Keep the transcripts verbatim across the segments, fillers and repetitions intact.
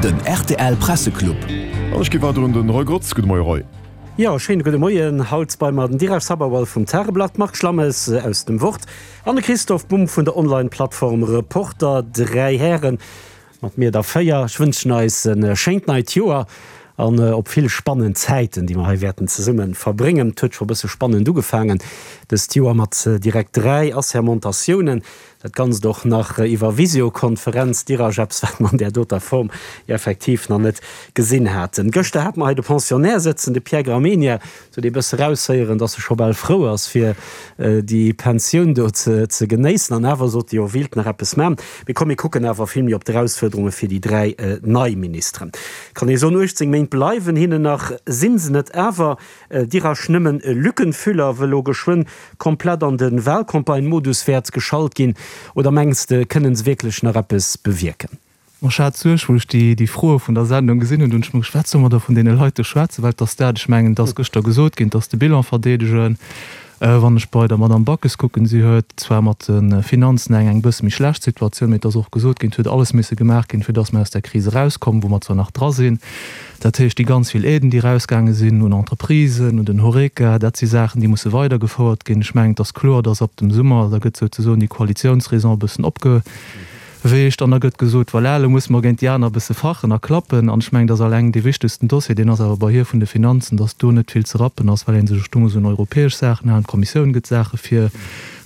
Den rtl Presseclub. An ech gi weider un den Roy Grotz. Gudde Moie Roy. Jo, schéine gudde Moien. Haut bei mer den Dheeraj Sabharwal vum Tageblatt, Marc Schlammes aus dem Wort an de Christoph Bumb vun der Online-Plattform Reporter. Dräi Hären, mat mir der véier. Ech wënschen eis e schéint neit Joer an op vill spannend Zäiten, déi mer hei wäerten zesumme verbréngen. Et huet scho e bësse spannend ugefaangen dëst Joer mat direkt dräi Assermentatiounen. Dat Ganzt och nach iwwer Visiokonferenz, Dheeraj, eppes wat mer an där doter Form effektiv nach net gesinn haten. Gëschter hate mer hei de Pensionnaire sëtzen, de Pierre Gramegna, sou dee bësse raushéieren, dass e scho bal frou ass fir déi Pensioun do ze ze genéissen. An awer sot e jo, wéilt nach eppes man. Mee komm, mir kucken awer vill méi op d'Erausfuerderunge fir déi dräi nei Ministeren. Kann ee soen, uechtzéng Méint bleiwen hinnen nach, sinn se net awer Dheeraj nëmmen e Lückenfüller, wëll lo geschwënn komplett an de Wahlcampagne-Modus wäert geschalt ginn? Oder mengs de, kënnen se wierklech nach eppes bewierken? Ma ech hat Suerg, wou ech déi, déi Froe vun der Sendung gesinn hunn, hunn ech mer gescht, wat solle mer da vun deene Leit do schwätzen? Well et ass dat, ech mengen, et ass gëschter gesot ginn, et ass de Bilan verdeedegen. Wann ech bei der Madamm Backes kucken, si huet zwar mat de Finanzen eng eng bësse méi schlecht Situatioun, mee et ass och gesot ginn, et huet alles misse gemaach ginn, fir datt mer aus där Kris erauskommen, wou mer zwar nach dra sinn. Dat heescht, déi ganz vill Aiden, déi erausgaange sinn un Entreprisen, un den Horeca, dat si Saachen, déi musse weidergefouert ginn. Ech mengen, et ass kloer, datt ab dem Summer, da gëtt souzesoen déi Koalitiounsraison e bëssen opge. Weecht an da gëtt gesot, voilà, elo musse mer géint déi aner e bësse fachen a klappen. An ech mengen, dass alleng dee wichtegsten Dossier, deen ass awer bei hir vun de Finanzen, dass do net vill ze rappen ass, well ee sech do muss un europäesch Saachen halen, d'Kommissioun gëtt Saache vir,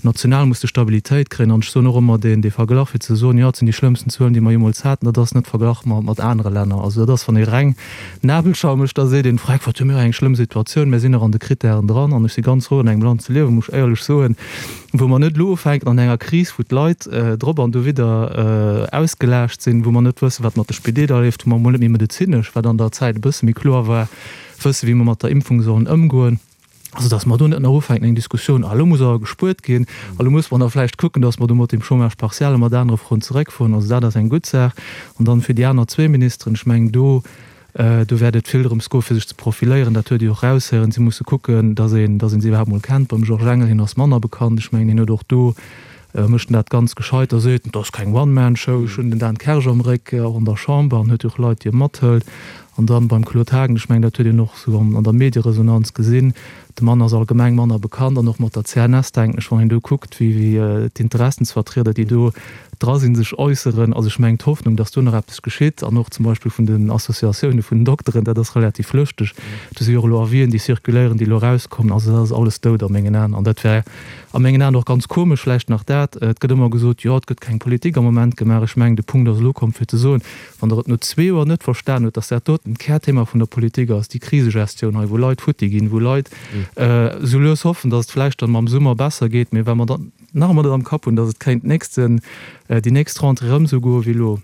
national muss de Stabilitéit kréien. An ech soen och ëmmer deen, dee Verglach fir ze soen, jo, et sinn déi schlëmmsten Zuelen, déi mer jeemools haten, dat ass net verglach mat anere Länner. Also dat ass, wann ee reng Nabelschau mécht, da seet een, Freck, wat hu mir eng schlëmm Situatioun, mir sinn nach an de Krittären dran. An ech si ganz frou, an engem Land ze liewen, muss ech éierlech soen, wou mer net elo ufänken an enger Kris, wou d'Leit drop an dowidder ausgelaascht sinn, wou mer net wëssen, wat mat de Spideeler leeft, wou mer emol net méi medezinesch, wat an der Zäit e bësse méi kloer war, wëssen, wéi mer mat der Impfung sollen ëmgoen. Also datt mer do net nach ufänken eng Diskussioun, ah elo muss awer gespuert ginn, a lo muss mer da vläicht kucken, datt mer do mat dem Chômage partiel a mat anere Froen zeréckfueren. Also dat ass eng gutt Saach. An dann fir déi aner zwee Ministeren, ech mengen do, Do wäert et vill drëms goen, fir sech ze profiléieren. Dat huet ee och eraushéieren. Si musse kucken, datt een, datt een se iwwerhaapt mol kennt. Beim Georges Engel, hien ass manner bekannt. Ech mengen, hien huet och do, mécht en dat ganz gescheit. A seet, et ass keng One-Man-Show, ech hunn den Dan Kersch am Réck, och an der Chamber, an huet jo och Leit, déi e mathëlt. An dann beim Claude Haagen, ech mengen, dat huet een och esou an der Medieresonanz gesinn, de Mann ass allgemeng manner bekannt an och mat der C N S, denken ech, wann een do kuckt, wéi d'Interessensvertrieder, déi do dra sinn, sech äusseren. Also ech mengen, d'Hoffnung, datt do nach eppes geschitt, an och zum Beispill vun den Associatioune vun den Dokteren, dat ass relativ lëschteg. Do si jo och elo Avisen, déi circuléieren, déi elo erauskommen. Also dat ass alles dout a mengen Aen. An dat wär a mengen Aen och ganz komesch. Vläicht nach dat, Et gëtt ëmmer gesot, jo, et gëtt keng Politik am Moment gemaach. Ech mengen, de Punkt ass elo komm, fir ze soen, wann Der et no zwee Joer net verstan hutt, datt dat doten d'Kärthema vun der Politik ass, déi Krisegestioun hei, wou Leit futti ginn, wou Leit esou lues hoffen, datt et vläicht dann mam Summer besser geet, mee wa mer dann nach ëmmer dat am Kapp hunn, datt et kéint d'nächsten, déi nächst Rentrée erëm esou goe wéi elo,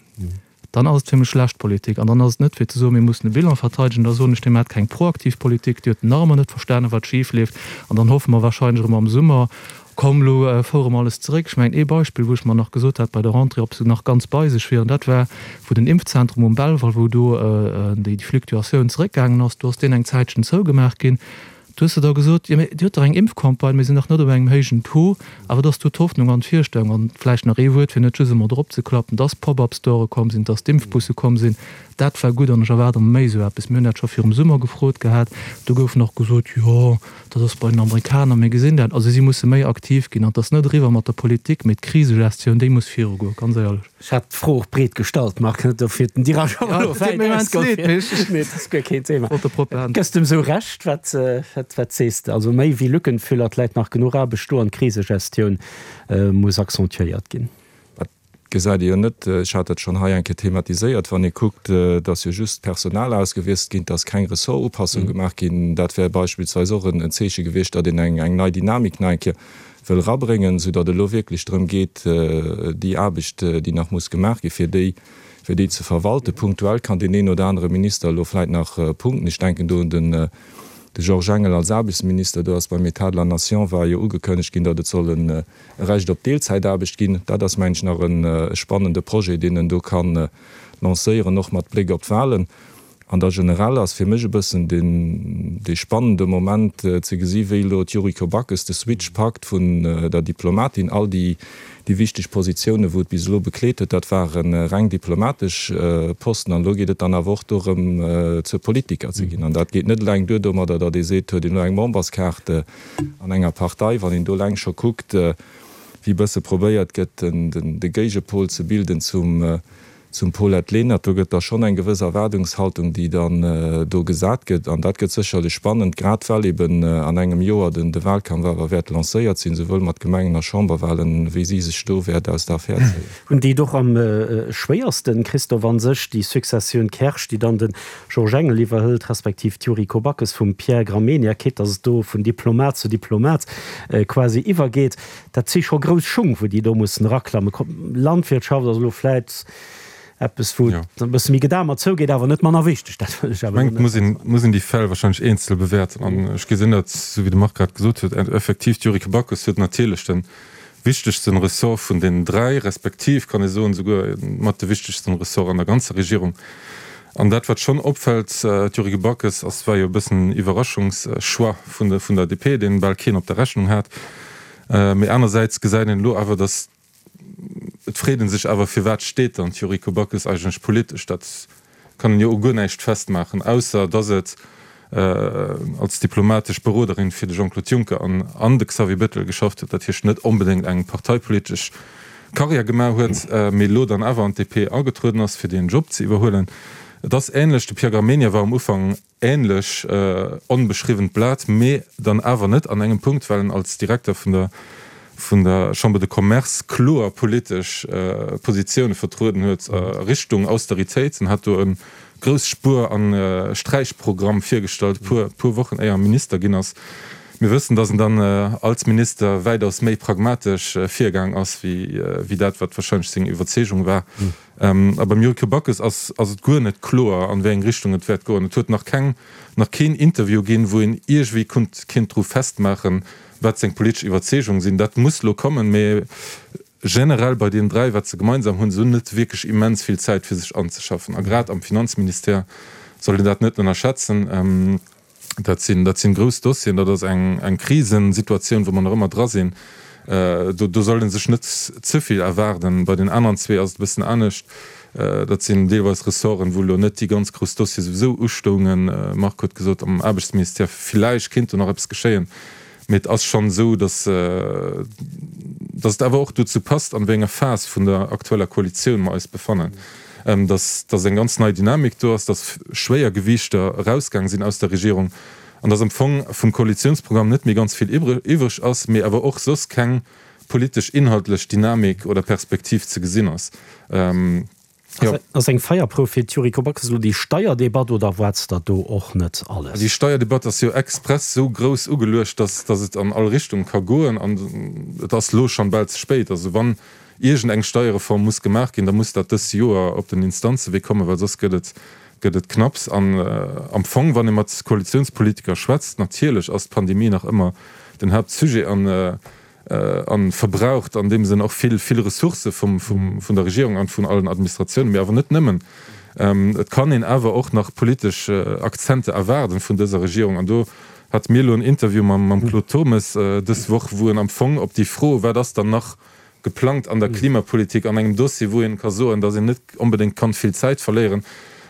dann ass et fir mech schlecht Politik. An dann ass et net fir ze soen, mir mussen e Bilan verteidegen, da soen ech, Dir maacht keng proaktiv Politik, Dir hutt nach ëmmer net verstanen, wat schif leeft. An dann hoffe mer wahrscheinlech erëm am Summer, komm elo fouere mer alles zeréck. Ech mengen, ee Beispill, wou ech mer nach gesot hat bei der Rentrée, ob se nach ganz bei sech wieren, dat war, wou den Impfzentrum um Belval, wou do déi Fluctuatioun zeréckgaangen ass, do ass deen eng Zäitchen zougemaach ginn. Du hues de da gesot, jo, mee Dir hutt dach eng Impfcampagne, mir sinn nach net op engem héijen Taux, awer et ass do d'Hoffnung an d'Virstellung. An vläicht nach ee Wuert, fir net just ëmmer drop ze klappen, dass Pop-up-Store komm sinn, dass d'Impfbusse komm sinn, dat war gutt an ech erwaarde mer méi esou eppes. Mir hunn dat scho virum Summer gefrot gehat, do gouf nach gesot, jo, dat ass bei den Amerikaner, mir gesinn dat. Also si musse méi aktiv ginn an et ass net eriwwer mat der Politik, mee d'Krisegestioun, déi muss virugoen, ganz éierlech. Ech hat d'Fro och breet gestallt, Marc, net dofir den Dheeraj awer elo wäit ausgeholl. Nee, dat ass guer keen Thema. Gëss de em sou Recht? Wat, wat sees de? Also méi wéi Lückenfüller, et läit nach genuch Aarbecht do an d'Krisegestioun muss accentuéiert ginn. Dat gesäit ee jo net. Ech hat dat schonn hei eng Kéier thematiséiert. Wann ee kuckt, dass jo just d'Personal ausgewiesselt ginn, dass keng Ressortupassung gemaach ginn, dat wär beispillsweis och en Zeeche gewiescht, datt een eng nei Dynamik nach eng Kéier wëll erabréngen, soudatt et elo wierklech drëm geet, déi Aarbecht, déi nach muss gemaach ginn, fir déi, fir déi ze verwalten. Punktuell kann deen een oder anere Minister elo vläicht nach punkten. Ech denken do un den de Georges Engel als Aarbechtsminister. Do ass beim État de la Nation war jo ugekënnegt ginn, datt et soll e Recht op Deelzäitaarbecht ginn. Dat ass, mengen ech, nach e spannende Projet, deen en do ka lancéieren, och mat Bléck op d'Wahlen. An da generell ass fir mech e bëssen deen, dee spannende Moment ze gesi wéi elo d'Yuriko Backes de Switch packt vun der Diplomatin. All déi, déi wichteg Positiounen, wou et bis elo bekleet huet, dat ware reng diplomatesch Posten. An elo geet et dann awer och dorëm, zur Politiker ze ginn. An dat geet net eleng duer domadder, datt ee seet, huet een elo eng Memberskaart an enger Partei. Wann een do eleng scho kuckt, wéi e bësse probéiert gëtt, den, de Géigepol ze bilden zum, Zum Paulette Lenert, do gëtt da schonn eng gewëss Erwaardungshaltung, déi dann do gesat gëtt. An dat gëtt sécherlech spannend, grad well eben an engem Joer den de Wahlkampf awer wäert lancéiert sinn, souwuel mat Gemengen a Chamberwahlen, wéi si sech do wäert aus der Affär zéien. Hunn déi et och am schwéiersten, Christophe, a sech déi Successioun Kersch, déi dann de Georges Engel iwwerhëlt, respektiv d'Yuriko Backes vum Pierre Gramegna, quitte datt et do vun Diplomat zu Diplomat quasi iwwergeet, dat si scho grouss Schung, wou déi do mussen eraklammen. Landwirtschaft ass elo vläit eppes, wou et e bësse méi gedamer zougeet, awer net manner wichteg. Dat wëll ech awer elo net. Ech mengen, et muss een déi Fäll wahrscheinlech eenzel bewäerten. An ech gesinn dat, esou wéi de Marc grad gesot huet, effektiv, d'Yuriko Backes huet natierlech de wichtegsten Ressort vun deenen dräi, respektiv kann ee soen, esouguer mat de wichtegsten Ressort an der ganzer Regierung. An dat, wat schonn opfält, d'Yuriko Backes ass, war jo e bëssen en Iwwerraschungschoix vun der, vun der D P, deen bal keen op der Rechnung hat. Mee anersäits gesäit een elo awer, datt Et freet ee sech awer, firwat steet dann d'Yuriko Backes eigentlech politesch? Dat kann een jo u guer näischt festmaachen, ausser datt et als diplomatesch Beroderin fir de Jean-Claude Juncker an an de Xavier Bettel geschafft huet, dat heescht net onbedéngt eng parteipolitesch Karriär gemaach huet, mee elo dann awer an d'D P agetrueden ass, fir deen Job ze iwwerhuelen. Et ass änlech, de Pierre Gramegna war am Ufank änlech onbeschriwwent Blat, mee dann awer net an engem Punkt, well en als Direkter vun der vun der Chambre de Commerce kloer politesch Positioune vertrueden huet a Richtung Austeritéit. En hat do e grouss Spuer a Sträichprogramm virgestallt, puer puer Wochen éier e Minister ginn ass. Mir wëssen, datt en dann als Minister wäitaus méi pragmatesch virgaang ass wéi wéi dat, wat wahrscheinlech seng Iwwerzeegung war. A beim Yuriko Backes ass ass et guer net kloer, an wéi eng Richtung et wäert goen. Et huet nach keng nach keen Interview ginn, wou een iergwéi konnt kinnt dru festmaachen, wat seng politesch Iwwerzeegung sinn. Dat muss elo kommen, mee generell bei deenen dräi, wat se gemeinsam hunn, se hunn net wierklech immens vill Zäit fir sech anzeschaffen. A grad am Finanzministère soll een dat net ënnerschätzen. Dat sinn, dat sinn grouss Dossieren, dat ass eng, eng Krisensituatioun, wou mer nach ëmmer dra sinn. Do, do soll ee sech net ze vill erwaarden. Bei den aneren zwee ass et e bëssen anescht. Dat sinn deelweis Ressorten, wou elo net déi ganz grouss Dossiere souwisou ustoungen. Marc huet gesot, am Aarbechtsministère villäicht kéint do nach eppes geschéien. Mee et ass schonn esou, datt, datt et awer och dozou passt, an wéi enger Phas vun der aktueller Koalitioun mer eis befannen, datt, datt eng ganz nei Dynamik do ass, datt Schwéiergewiichter erausgaang sinn aus der Regierung an datt am Fong vum Koalitiounsprogramm net méi ganz vill iwwreg ass, mee awer och soss keng politesch inhaltlech Dynamik oder Perspektiv ze gesinn ass. Jo. Ass eng Feierprouf fir d'Yuriko Backes elo déi Steierdebatt oder erwaarts der do och net alles? Déi Steierdebatt ass jo express esou grouss ugeluecht, dass dass et an all Richtung ka goen. An et ass elo schonn bal ze spéit. Also wann iergend eng Steierreform muss gemaach ginn, da muss dat dës Joer op den Instanzewee kommen, well soss gëtt et gëtt et knapps. An am Fong, wann ee mat Koalitiounspolitiker schwätzt, natierlech ass d'Pandemie nach ëmmer den Hauptsujet an a verbraucht an deem Sënn och vill, vill Ressourcë vum, vum, vun der Regierung an vun allen Administratiounen, mee awer net nëmmen. Et kann een awer och nach politesch Akzente erwaarden vun dëser Regierung. An do hate mir elo en Interview mam, mam Claude Turmes dës Woch, wou en am Fong op déi Fro, wat ass dann nach geplangt an der Klimapolitik, an engem Dossier, wou een ka soen, datt een net onbedéngt kann vill Zäit verléieren,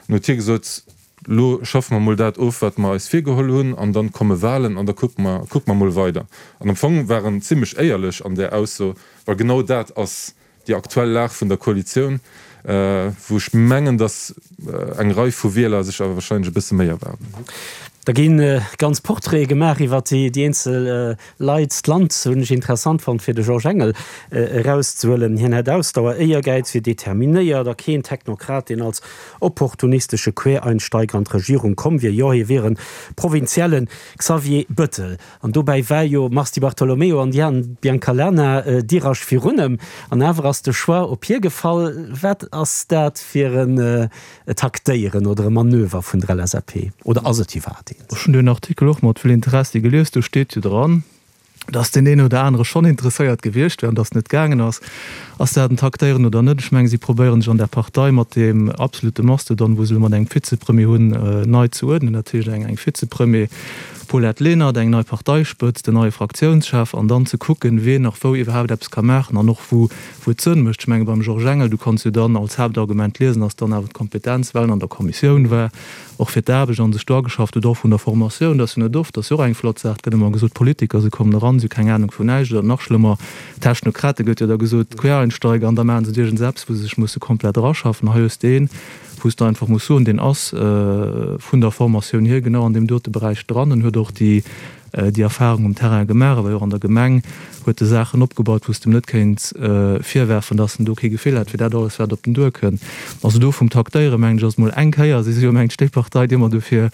huet hie gesot, Lo schaffe mer mol dat of, wat mer eis virgeholl hunn, an dann komme Wahlen an da kucke mer, kucke mer mol weider. An am Fong war en zimlech éierlech an där Ausso, well genau dat ass déi aktuell Lag vun der Koalitioun, wou ech mengen, datt eng Rei vu Wieler sech awer wahrscheinlech e bësse méi erwaarden. Da gi ganz Portraite gemaach iwwer déi eenzel Leit. D'Land hunn ech interessant fonnt, fir de Georges Engel erauszehuelen. Hien hätt Ausdauer, Éiergäiz, wier determinéiert a keen Technokrat, deen als opportunistesche Quereinsteiger an d'Regierung komm wier. Jo, hie wier e provinzielle Xavier Bëttel. An dobäi war jo Mars Di Bartolomeo an Diane Biancalana dirach virun em. An awer ass de Choix op hie gefall. Wat ass dat fir en Taktéieren oder e Manöver vun der L S A P? Oder ass et iwwerhaapt eent? Ech hunn deen Artikel och mat vill Interessi gelies. Do steet jo dran, dass deen een oder anere schonn interesséiert gewiescht wär an dass net gaangen ass. Ass dat en Taktéieren oder net? Ech mengen, si probéieren sech an der Partei mat deem absolute Mastodon, wou se elo mat engem Vizepremier hunn, nei ze uerdnen. Dat heescht eng eng Vizepremier Paulette Lenert, eng nei Parteispëtzt, en neie Fraktiounschef an dann ze kucken, wien nach wou iwwerhaapt eppes ka maachen an och wou wou et Sënn mécht. Ech menge beim Georges Engel, du kanns jo dann als Haaptargument liesen, ass dann awer d'Kompetenz, well en an der Kommissioun war, och fir d'Aarbecht an sech do ageschafft huet, och vun der Formatioun, dat ass jo net oft, dat ass jo och eng flott Saach, et gëtt ëmmer gesot, Politiker, se kommen eran, se hu keng Anung vun näischt, oder nach schlëmmer, Technokrate gëtt jo da gesot, Quereinsteiger, an da maachen se iergendseppes, wou se sech musse komplett eraschaffen. Hei hues de een, wou s de einfach muss soen, deen ass vun der Formatioun hier genau an deem dote Beräich dran en huet och déi déi Erfahrung um Terrain gemaach, e war jo och an der Gemeng, huet e Saachen opgebaut, wou s de em net kéints virwerfen, datt en do kee Gefill hätt fir dat alles, wat op den duer kënn. Also do vum Taktéieren, mengen ech, ass et mol eng Kéier, si si jo mengt ech déi Partei, déi ëmmer dofir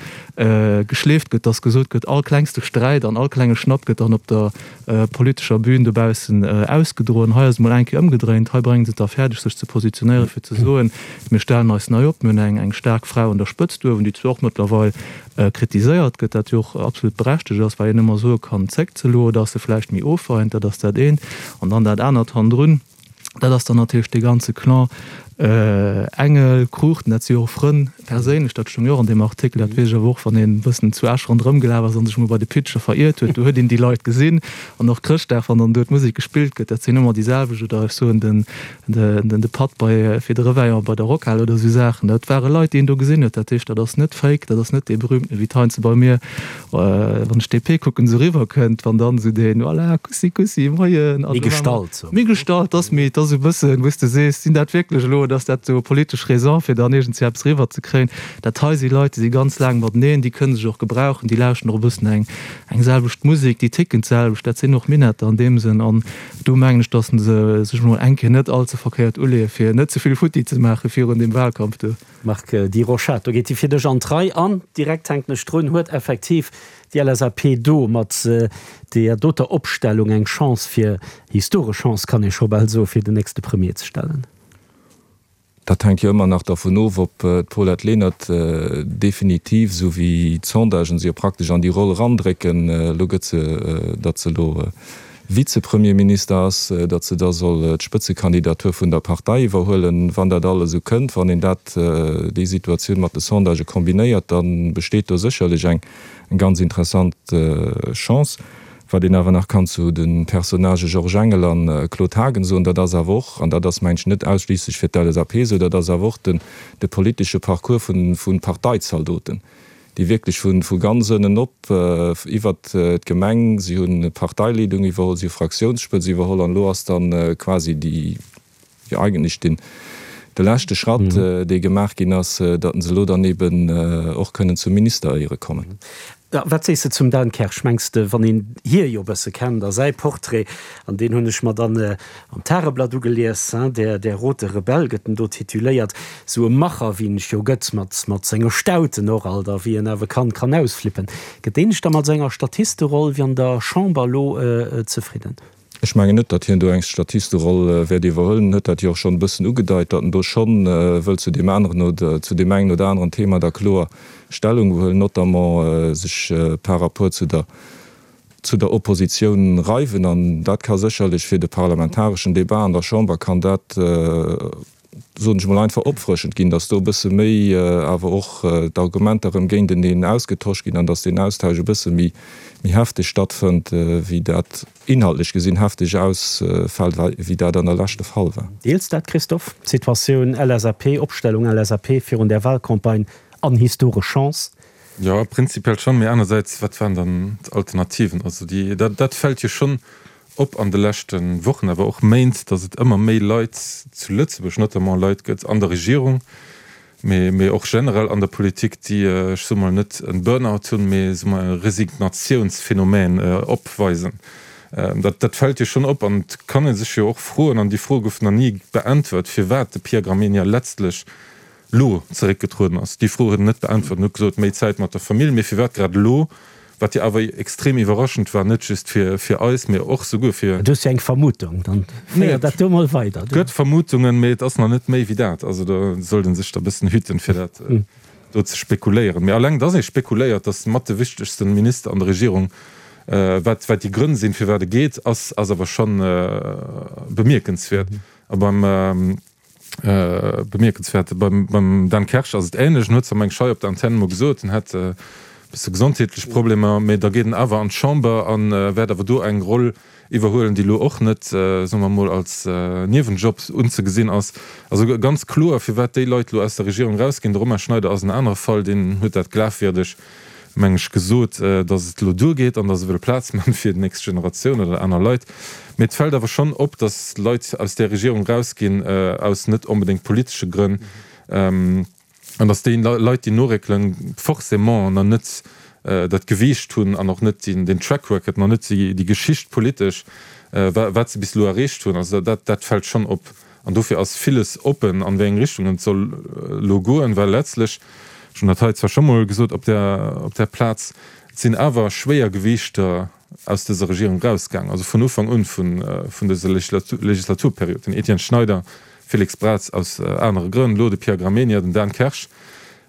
geschleeft gëtt, datt gesot gëtt, all klengste Sträit an all klenge Schnapp gëtt dann op der politescher Bühn dobaussen ausgedroen. Hei ass et mol eng Kéier ëmgedréint. Hei bréngen se et da fäerdeg, sech ze positionéieren, fir ze soen, mir stellen eis nei op, mir hunn eng eng staark Fra un der Spëtzt uewen, déi zwar och mëttlerweil kritiséiert gëtt, dat jo och absolut berechtegt ass, well een ëmmer soe kann, zéckt se elo oder ass se vläicht méi ofweihend, dat ass dat eent. An dann dat anert hannendrun, dat ass dann natierlech dee ganze Clan Engel, Cruchten, dat si jo och Frënn perséinlech, dat stoung jo och an deem Artikel, dat weess ech awer och, wann een e bëssen zu Esch ronderëm gelaf ass a sech emol bei de Pitcher veriert huet, do huet een déi Leit gesinn. An och Chrëschtdag, wann dann do d'Musek gespillt gëtt, dat sinn ëmmer déi selwecht, oder ech soen den, de Patt bei, fir de Reveillon bei der Rockhal oder esou Saachen, dat ware Leit, déi een do gesinn huet. Dat heescht, dat ass net fake, dat ass net dee berühmten, wéi d'Heinze bei mir, wann ech D P kucken, esou eriwwerkënnt, wann dann esou deen, voilà, Kussi, Kussi, Moien. Méi gestallt. Méi gestallt, ass méi, et ass esou e bëssen, wou s de sees, sinn dat wierklech elo, oder ass dat esou politesch Raison, fir dann iergendwéi eppes eriwwerzekréien? Dat hei si Leit, déi si ganz laang mateneen, déi kënne sech och gebrauchen, déi lauschten och e bëssen eng, eng selwecht Musek, déi ticken d'selwecht, dat sinn och Minetter an deem Sënn. An do mengen ech, datt se sech emol eng Kéier net all ze verkéiert uleeë fir net ze vill futti ze maache virun deem Wahlkampf do. Marc Di Rochat, do geet déi fir dech an d'Rei an direkt hänken ech drun, huet effektiv déi L S A P do mat deeër doter Opstellung eng Chance fir, historesch Chance kann ee scho bal soen, fir den nächste Premier ze stellen? Dat hänkt jo ëmmer nach dervun of, ob d'Paulette Lenert definitiv, esou wéi d'Sondagen se jo praktesch an déi Roll erandrécken, elo gëtt se, datt se elo Vizepremierminister ass, datt se da soll d'Spëtzekandidatur vun der Partei iwwerhuelen. Wann dat alles esou kënnt, wann een dat, déi Situatioun mat de Sondagë kombinéiert, da besteet do sécherlech eng ganz interessant Chance. Wat een awer nach kann zu de Personnagë Georges Engel a Claude Haagen soen, dat ass awer och, an dat ass mengen ech net ausschliisslech fir d'L S A P esou, dat ass awer och den de politesche Parcours vu vu Parteizaldoten, déi wierklech vu vu ganz ënnen op iwwert d'Gemeng, si hunn Parteileedung iwwerholl, si hu Fraktiounsspëtz iwwerholl an elo ass dann quasi déi, jo eigentlech den de leschte Schratt, dee gemaach ginn ass, datt se elo dann eben och kënnen zum Ministeréiere kommen. Ja, wat sees de zum Dan Kersch? Mengs de, wann een hie jo e bësse kennt a säi Portrait, an deen hunn ech mer dann am Tageblatt ugelies, hein, der, der rote Rebell gëtt en do tituléiert, sou e Macher wéi en ech jo gëtt, mat, mat senge Stauten och alt a wéi en awer kann, kann ausflippen, gëtt deen sech da mat senger Statisteroll wéi an der Chamber elo zefridden? Ech mengen net, datt hien do eng Statisteroll wäert iwwerhuelen. En huet dat jo och schonn e bëssen ugedeit, datt en do schonn wëllt zu deem aneren oder zu deem engen oder aneren Thema da kloer Stellung huelen, notamment sech par rapport zu der zu der Oppositioun reiwen. An dat ka sécherlech fir de parlamentareschen Débat an der Chamber kann dat, soen ech emol, einfach opfrëschend ginn, datt do e bësse méi awer och d'Argumenter erëm géinteneen ausgetosch ginn an datt deen Austausch e bësse méi méi hefteg stattfënnt, wéi dat inhaltlech gesinn hefteg ausfält, wéi dat an der Lescht de Fall war. Deels dat, Christophe, d'Situatioun L S A P, Opstellung L S A P virun där Wahlcampagne an historesch Chance? Jo, prinzipiell schonn, mee anersäits, wat waren dann d'Alternativen? Also déi, dat, dat fält jo schonn op an de leschte Wochen, awer och Méint, datt et ëmmer méi Leit zu Lëtzebuerg notamment Leit gëtt an der Regierung, mee, mee och generell an der Politik, déi, ech soe mol, net en Burnout hunn, mee soe mer e Resignatiounsphänomen opweisen. Dat, dat fält jo schonn op an et kann ee sech jo och froen, an déi Fro gouf nach ni beäntwert, firwat de Pierre Gramegna letztlech lo zeréckgetrueden ass. Déi Fro huet en net beäntwert. En huet gesot, méi Zäit mat der Famill, mee firwat grad elo? Wat jo awer extrem iwwerraschend war, net just fir fir eis, mee och souguer fir. Du hues jo eng Vermutung, dann féier dat do mol weider. Et gëtt Vermutungen, mee et ass nach net méi wéi dat. Also do sollt ee sech da e bëssen hüten, fir dat do ze spekuléieren. Mee alleng, dass ee spekuléiert, dass mat de wichtegste Minister an der Regierung Wat wat déi Grënn sinn, firwat e geet, ass ass awer schonn bemierkenswäert. A beim bemierkenswäert beim beim Dan Kersch ass et änlech. En huet zwar meng ech hei op der Antenn emol gesot, en hätt e bësse gesondheetlech Problemer, mee da geet en awer an d'Chamber a wäert awer do eng Roll iwwerhuelen, déi elo och net, soe mer emol, als Niewenjob unzegesinn ass. Also ganz kloer, firwat déi Leit elo aus der Regierung erausginn. De Romain Schneider ass en anere Fall, deen huet dat glafwierdeg meng ech, gesot, datt et elo duergeet an datt se wëlle Plaz man fir déi nächst Generatioun oder aner Leit. Mee et fält awer schonn op, datt Leit aus där Regierung erausginn aus net onbedéngt politesche Grënn an datt déi Leit, déi noréckelen, forcément nach net dat Gewiicht hunn an och net den Track Record, nach net déi Geschicht politesch, wat se bis elo erreecht hunn. Also dat, dat fält schonn op. An dofir ass villes oppen, an wéi eng Richtung et soll elo goen, well letztlech, ech hunn dat hei zwar scho mol gesot op där, op där Plaz, et sinn awer Schwéiergewiichter aus dëser Regierung erausgaangen, also vun Ufank un vun, vun dëser Legislaturperiod, den Etienne Schneider, Félix Braz aus anere Grënn, elo de Pierre Gramegna, den Dan Kersch.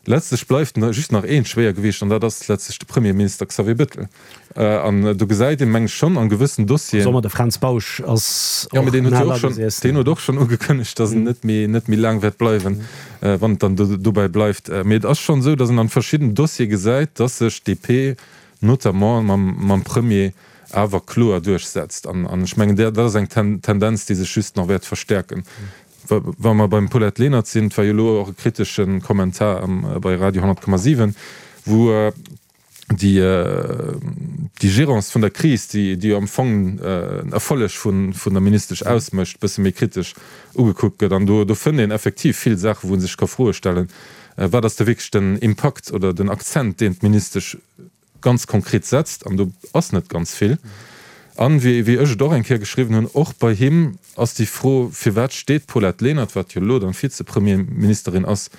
Letztlech bleift just nach eent Schwéiergewiicht, an dat ass letztlech de Premierminister Xavier Bettel. An do gesäit een, meng ech, schonn a gewëssen Dossieren. Soe mer, de Fränz Bausch ass och nach agesessen. Deen huet och schonn ugekënnegt, datt en net méi, net méi laang wäert bleiwen, wann et dann dobäi bleift. Mee et ass schonn esou, datt een an verschidden Dossiere gesäit, datt sech d'DP notamment mam, mam Premier awer kloer duerchsetzt. An ech mengen, dat ass eng Tendenz, déi sech just nach wäert verstäerken. Wa mer beim Paulette Lenert sinn, et war jo elo och e kritesche Kommentar bei Radio honnert Komma siwen, wou déi Gérance vun der Kris, déi jo am Fong en Erfolleg vun der Ministesch ausmécht, e bësse méi kritesch ugekuckt gëtt. An do fënnt een effektiv vill Saachen, wou ee sech ka Froe stellen, Wat ass da wierklech den Impakt oder den Akzent, deen d'Ministesch ganz konkret setzt, an do ass net ganz vill. An, wéi ech et och eng Kéier geschriwwen hunn, och bei him ass déi Fro, firwat steet d'Paulette Lenert, wat jo elo dann Vizepremierministerin ass,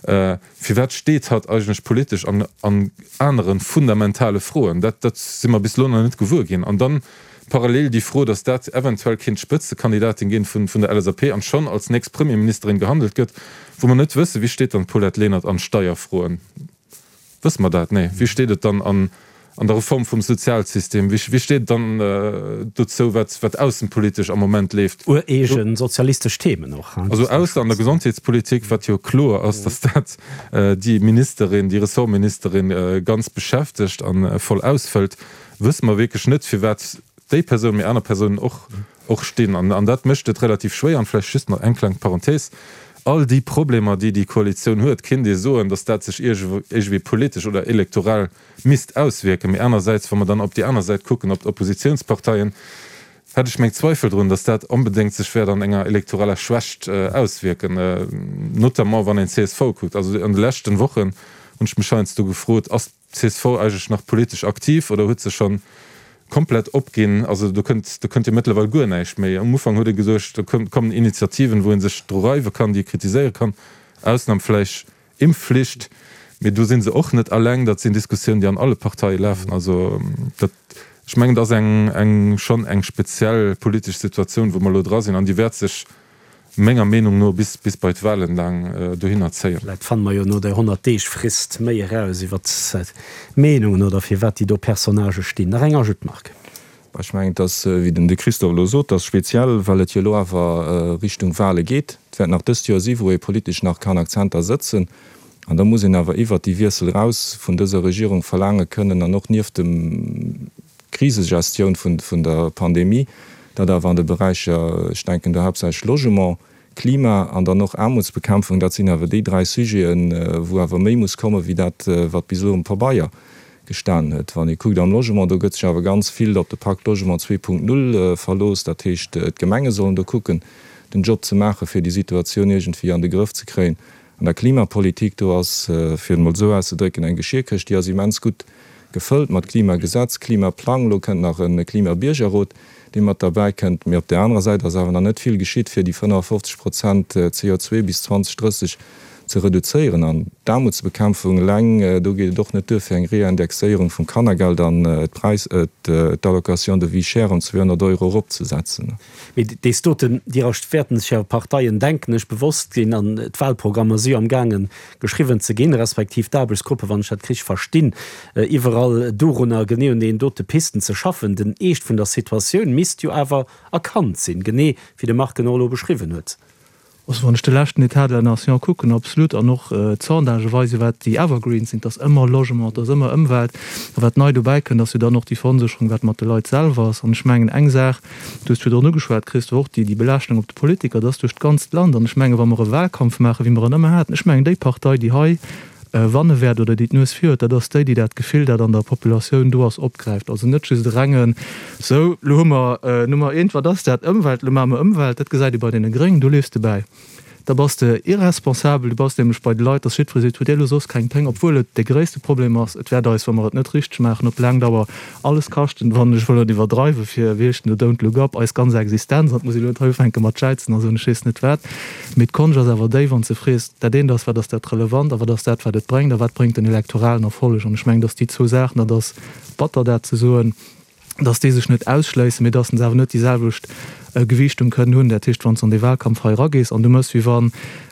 firwat steet hatt eigentlech politesch an an anere fundamentale Froen? Dat dat si mer bis elo nach net gewuer ginn. An dann parallel déi Fro, datt dat eventuell kéint d'Spëtzekandidatin ginn vun vun der L S A P an schonn als nächst Premierministerin gehandelt gëtt, wou mer net wëssen, wéi steet dann d'Paulette Lenert an Steierfroen? Wësse mer dat? Nee. Wéi steet et dann an an der Reform vum Sozialsystem? Wéi wéi steet et dann dozou, wat wat aussenpolitesch am Moment leeft? Ureege sozialistesch Themen och, hein. Also ausser an der Gesondheetspolitik, wat jo kloer ass, datt dat déi Ministerin, déi Ressortministerin ganz beschäftegt a voll ausfëllt, wësse mer wierklech net, firwat déi Persoun, mee aner Persounen och, och stinn. An dat mécht et relativ schwéier. An vläicht just nach eng kleng Parenthèse, All déi Problemer, déi déi Koalitioun huet, kéint ee soen, datt dat sech iergendwéi politesch oder elektoral misst auswierken. Mee anersäits, wa mer dann op déi aner Säit kucken, op d'Oppositionsparteien, hätt ech meng Zweifel drun, datt dat onbedéngt sech wäert an enger elektoraler Schwächt auswierken, notamment wann een d'C S V kuckt. Also an de leschten Wochen hunn ech mech heiansdo gefrot, Ass d'C S V eigentlech nach politesch aktiv oder huet se schonn komplett opginn? Also do kënnt, do kënnt jo mëttlerweil guer näischt méi. Am Ufank huet ee geduecht, do kommen Initiativen, wou ee sech dru reiwe kann, déi ee kritiséiere kann, Ausnam vläicht Impfflicht, mee do si se och net alleng. Dat sinn Diskussiounen, déi an alle Parteie lafen. Also dat, ech mengen, dat ass eng, eng schonn eng speziell politesch Situatioun, wou mer elo dra sinn, an déi wäert sech menger Meenung no bis bis bei d'Wahlen laang dohinner zéien. Vläit fanne mer jo no der Honnert-Deeg-Frist méi eraus iwwer d'Meenungen oder firwat déi do Personnagë stinn. Nach eng Ajoute, Marc? Ech mengen, et ass, wéi den de Christophe elo sot, et ass speziell, well et jo elo awer Richtung Wahle geet. Et wäert nach dëst Joer si wou ee politesch nach kann Akzenter sëtzen. An da muss een awer iwwert déi Wiessel eraus vun dëser Regierung verlaange kënnen an och nieft dem Krisegestioun vun der Pandemie, dat awer an de Beräicher, ech denken do haaptsächlech Logement, Klima an dann och Aarmutsbekämpfung, dat sinn awer déi dräi Sujeten, wou awer méi muss komme wéi dat, wat bis elo um Pabeier gestanen huet. Wann ee kuckt am Logement, do gëtt sech awer ganz vill op de Pakt Logement zwee Punkt null verlooss. Dat heescht, d'Gemenge sollen do kucken, den Job ze maachen, fir déi Situatioun iergendwéi an de Grëff ze kréien. An der Klimapolitik, do ass, fir et emol esou auszedrécken, eng Geschierkëscht, déi ass immens gutt gefëllt mat Klimagesetz, Klimaplang, elo kënnt nach e Klimabiergerrot, dee mat derbäi kënnt. Mee op där anerer Säit ass awer nach net vill geschitt, fir déi fënnefafofzeg Prozent C O zwei bis zwanzeg drësseg ze reduzéieren. An d'Aarmutsbekämpfung eleng, do geet et och net duer fir eng Reindexéierung vum Kannergeld an d'Präis, d'Allocation de vie chère ëm zweehonnert Euro eropzesetzen. Mee dees doten, déi wäerten sech jo Parteien, denken ech, bewosst sinn an d'Wahlprogrammer si jo am gaangen geschriwwen ze ginn, respektiv d'Aarbechtsgruppe, wann ech dat richteg verstinn, iwwerall dorunner genee un deenen dote Pisten ze schaffen. Den Eescht vun der Situatioun misst jo awer erkannt sinn, genee wéi de Marc en och elo beschriwwen huet. Also wann ech de leschten État de la nation kucken, absolut, an och d'Sondagë weisen, wat déi Evergreens sinn, 't ass ëmmer Logement, 't ass ëmmer Ëmwelt. A wat nei dobäi kënnt, ass jo dann och déi Veronsécherung, wat mat de Leit selwer ass. An ech mengen eng Saach, du hues virdrun ugeschwat, Christophe, och déi, déi Belaaschtung op de Politiker, dat ass duerch d'ganzt Land. An ech mengen, wa mer e Wahlkampf maachen, wéi mer en ëmmer haten, ech mengen déi Partei, déi hei wanne wäert oder déi d'Nues vir huet, dat ass déi, déi dat Gefill, dat an der Populatioun do ass, opgräift. Also net just e rengen, Sou, lo hu mer Nummer eent, wat ass dat? Ëmwelt, lo maache mer Ëmwelt. Dat gesäit ee bei deene Gréngen, do leefs de bäi. Da bass de irresponsabel, du bass nämlech bei de Leit, dass jiddweree seet, hutt Dir elo soss keng Péng, obwuel et dee gréisste Problem ass. Et wäert eis, wa mer et net richteg maachen, op laang Dauer alles kaschten, wann ech wëll net iwwerdreiwen, fir, wéi heescht den do, Don't look up, eis ganz Existenz. An et muss ee elo net hei ufänke mat jäizen a soen, ech weess net wat. Mee d'Konscht ass awer déi, wann s de frees, dat eent ass, wat ass dat relevant a wat ass dat, wat et bréngt a wat bréngt den elektoralen Erfolleg? An ech mengen, datt déi zwou Saachen, dat ass batter dat ze soen, datt déi sech net ausschléissen, mee datt se awer net déi selwecht Gewiichtung kënnen hunn. Dat heescht, wann s de an dee Wahlkampf hei eragees an du méchs wéi wann,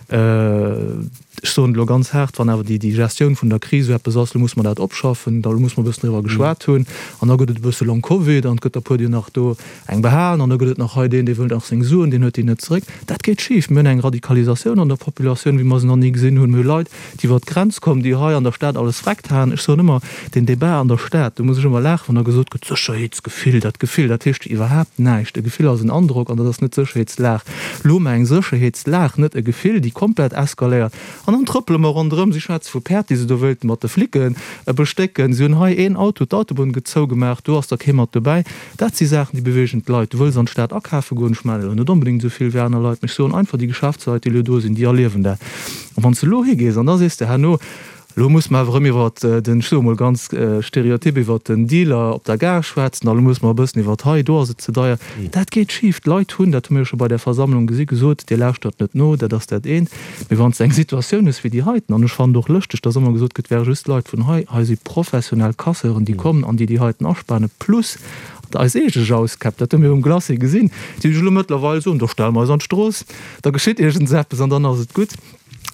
ech soen et elo ganz haart, wann awer déi Gestioun vun der Kris esou eppes ass, elo muss mer dat opschaffen, da muss mer e bëssen driwwer geschwat hunn an da gëtt et e bësse Long Covid an et gëtt der puer, déi nach do eng behalen an da gëtt et nach hei deen, dee wëllt nach seng Suen, deen huet déi net zeréck. Dat geet schif. Mir hunn eng Radikalisatioun an der Populatioun, wéi mer se nach ni gesinn hunn. Mir hu Leit, déi iwwer d'Grenz kommen, déi hei an der Stad alles vreckt haen. Ech soen ëmmer, deen Débat an der Stad, do muss ech ëmmer laachen, wann da gesot gëtt, Sécherheetsgefill, dat Gefill, dat heescht iwwerhaapt näischt. E Gefill ass en Androck an dat ass net d'Sécherheetslag. Lo hu mer eng Sécherheetslag, net e Gefill, déi komplett eskaléiert. An dann trëppele mer ronderëm. Si schwätze vu Päerd, déi se do wéilten mat de Flicke bestécken. Si hunn hei een Auto, d'Autobunn gëtt zougemaach, do ass da kee mat dobäi. Dat si Saachen, déi beweegen d'Leit. Du wëlls an d'Stad akafe goen, ech maachen elo net onbedéngt esou vill wéi aner Leit, mee ech soen einfach, déi Geschäftsleit, déi elo do sinn, déi erliewen dat. A wann s de elo higees an da sees de herno, Elo musse mer awer erëm iwwer den, ech soe mol ganz stereotyp, iwwer den Dealer op der Gare schwätzen a lo musse mer e bëssen iwwer hei, do ass et ze deier. Dat geet schif. D'Leit hunn, dat hu mir jo scho bei där Versammlung gesi gesot, Dir lauschtert net no, dat ass dat eent. Mee wann s de eng Situatioun hues wéi déi heiten, an ech fannen et och lëschteg, dass ëmmer gesot gëtt, et wäre just Leit vun hei, hei si professionell Casseuren, déi kommen an déi déi heiten aspanen, plus eis eege Jauskäpp, dat hu mir um Glacis gesinn, déi sech elo mëttlerweil soen, da stelle mer eis an d'Strooss, da geschitt iergendseppes an dann ass et gutt.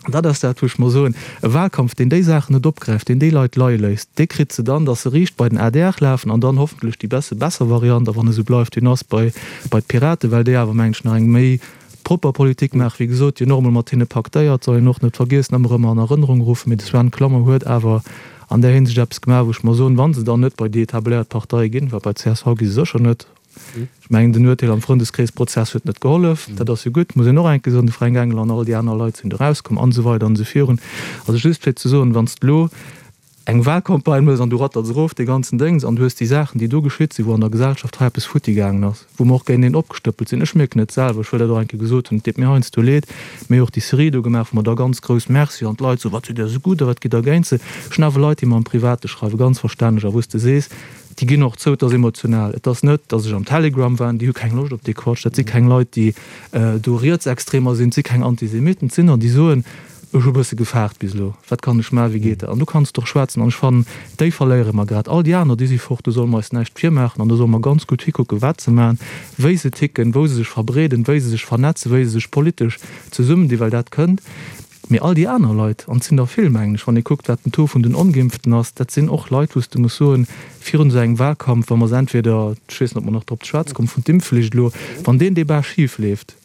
An dat ass dat, wou ech mer soen, e Wahlkampf, deen déi Saachen net opgräift, deen déi Leit leie léisst, dee kritt se dann, datt se riicht bei den adr lafen an dann hoffentlech déi besse besser Variant, a wann e sou bleift wéi en ass, bei bei d'Piraten, well déi awer, mengen ech, nach eng méi propper Politik maachen. Wéi gesot, déi hunn och emol mat hinne paktéiert, soll een och net vergiessen, ëmmer erëm an Erënnerung ruffen. Mee de Sven Clement huet awer an där Hinsicht eppes gemaach, wou ech mer soen, wa se dann net bei déi etabléiert Parteie ginn, well bei d'CSV gi se sécher net, Ech mengen, den Urteel am Frëndeskreesprozess huet net gehollef. Dat ass jo gutt, muss een och eng Kéier soen. De Fränk Engel an all déi aner Leit sinn do erauskomm an esou weider an esou virun. Also just fir ze soen, wann s de elo eng Wahlcampagne hues an du ratters erof dee ganzen Déngs an du hues déi Saachen, déi do geschitt sinn, wou an der Gesellschaft hei eppes futti gaangen ass, wou mer och géinteneen opgestëppelt sinn, ech mierken et selwer, ech wëll dat och eng Kéier gesot hunn, et deet mir heiansdo leed, mir hu och déi Serie do gemaach, wou mer da ganz grouss Merci an d'Leit soen, wat sidd Dir esou gutt a wat gitt Der géint se. Ech hunn awer Leit, déi mer am Private schreiwen, ganz verstänneg, a wou s de sees, Déi ginn och zou, et ass emotional. Et ass net, datt ech am Telegram war, déi hu keng Loscht op dee Quatsch. Dat si keng Leit, déi do Rietsextremer sinn, et si keng Antisemitten, et sinn der, déi soen, ech hu e bësse gefaart bis elo, wat kann ech maachen, wéi geet dat? An du kanns och schwätzen. An ech fannen, déi verléiere mer grad. All déi aner, déi si fort, do solle mer eis näischt virmaachen an do solle mer ganz gutt hikucken, wat se maachen, wéi se ticken, wou se sech verbreeden, wéi se sech vernetzen, wéi se sech politesch zesummendinn, well dat kënnt. Mee all déi aner Leit, an et sinn der vill, mengen ech, wann ee kuckt, wat den Taux vun den Ongeimpften ass, dat sinn och Leit, wou s de muss soen, virun esou engem Wahlkampf, wa mer se entweder, ech weess net, ob mer nach drop ze schwätze kommen, vun d'Impfflicht elo, wann deen Débat schif leeft,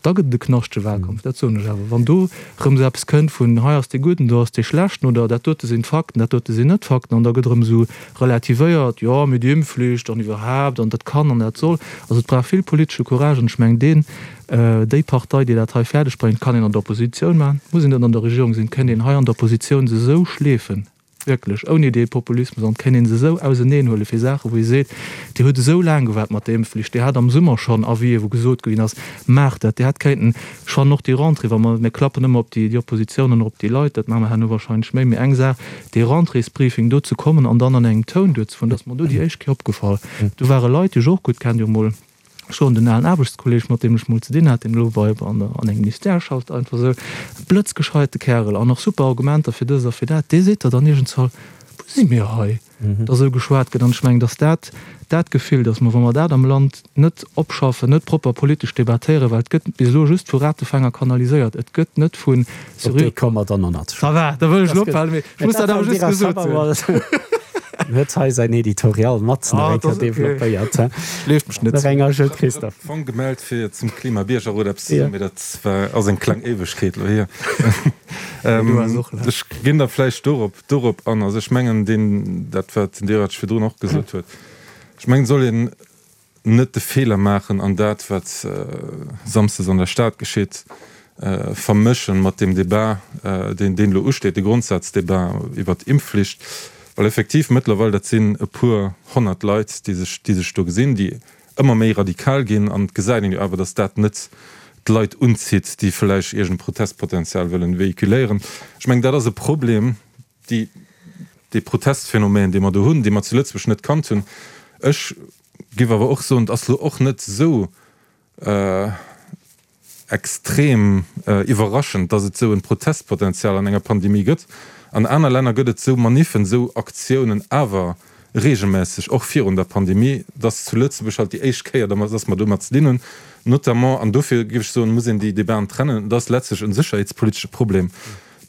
da gëtt et e knaschtege Wahlkampf, dat soen ech awer. Wann do erëm esou eppes kënnt vun hei ass dee Gudden, do ass dee Schlechten oder dat dote sinn d'Fakten, dat dote sinn net d'Fakten an da gëtt erëm esou relativéiert, jo, mee déi Impfflicht an iwwerhaapt an dat kann an dat soll. Also et brauch vill politesche Courage an ech mengen, deen, Déi Partei, déi dat hei fäerdeg bréngt, kann een an der Oppositioun maachen, muss een net an der Regierung sinn, kéint een hei an der Oppositioun se esou schleefen, wierklech ouni dee Populismus, an kéint een se esou auseneenhuele fir Saachen, wou ee seet, Dir hutt esou laang gewaart mat der Impfflicht, Dir hat am Summer schonn Avisë wou gesot ginn ass, maacht dat, Dir hätt kéinten, ech fannen och déi Rentrée, wa mer, mir klappen ëmmer op déi Oppositioun an och op déi Leit, dat maache mer herno wahrscheinlech méi, mee eng Saach, dee Rentréesbriefing do ze kommen an dann an engem Toun duerzefueren, dat ass mer do déi éischt Kéier opgefall, do ware Leit, déi ech och gutt kennen, déi emol. Ech soen, den alen Aarbechtskolleg, mat deem ech mol ze dinn hat, deen elo bei an der an engem Ministère schafft, einfach esou e blëtzgescheite Kärel an och super Argumenter fir dëst a fir dat, dee seet der dann iergendswall, Wou si mir hei, datt esou geschwat gëtt? An ech mengen, datt dat dat Gefill, datt mer, wa mer dat am Land net opschaffen, net propper politesch debattéieren, well et gëtt bis elo just vu Ratefänger kanaliséiert, et gëtt net vu Op seriö. déi komme mer dann och nach ze Ça va, da wëll ech elo ophalen, mee ech muss dat awer just gesot hunn. En huet hei säin Editorial mat nach eng Kéier developpéiert. Schleeft mech net. Nach eng Ajout, Christophe? Fong gemellt fir zum Klima-Biergerrot eppes ze soen, mee dat war, ass eng kleng Éiwegkeet elo hier. Ech ginn da vläicht dorop, dorop an. Also ech mengen deen, dat wat den Dirac virdrun och gesot huet, ech mengen et soll een net de Feeler maachen an dat wat samsdes an der Stad geschitt, vermëschen mat deem Débat, deen deen elo usteet, de Grondsazdebat iwwert d'Impfflicht, well effektiv mëttlerweil, dat sinn e puer honnert Leit, déi sech, déi sech do gesinn, déi ëmmer méi radikal ginn, an et gesäit een jo awer, datt dat net d'Leit unzitt, déi vläicht iergend Protestpotenzial wëllen véhiculéieren. Ech mengen, dat ass e Problem, déi, dee Protestphänomen, dee mer do hunn, dee mer zu Lëtzebuerg net kannt hunn. Ech géif awer och soen, et ass elo och net esou, Extrem iwwerraschend, dass et esou en Protestpotenzial an enger Pandemie gëtt. An aner Länner gëtt et esou Maniffen, esou Aktiounen awer regelmässeg, och virun der Pandemie. Et ass zu Lëtzebuerg halt déi éischt Kéier, dass mer domat ze dinn hunn, notamment, an dofir géif ech soen, muss een déi Debaten trennen, et ass letztlech en sécherheetspolitesche Problem.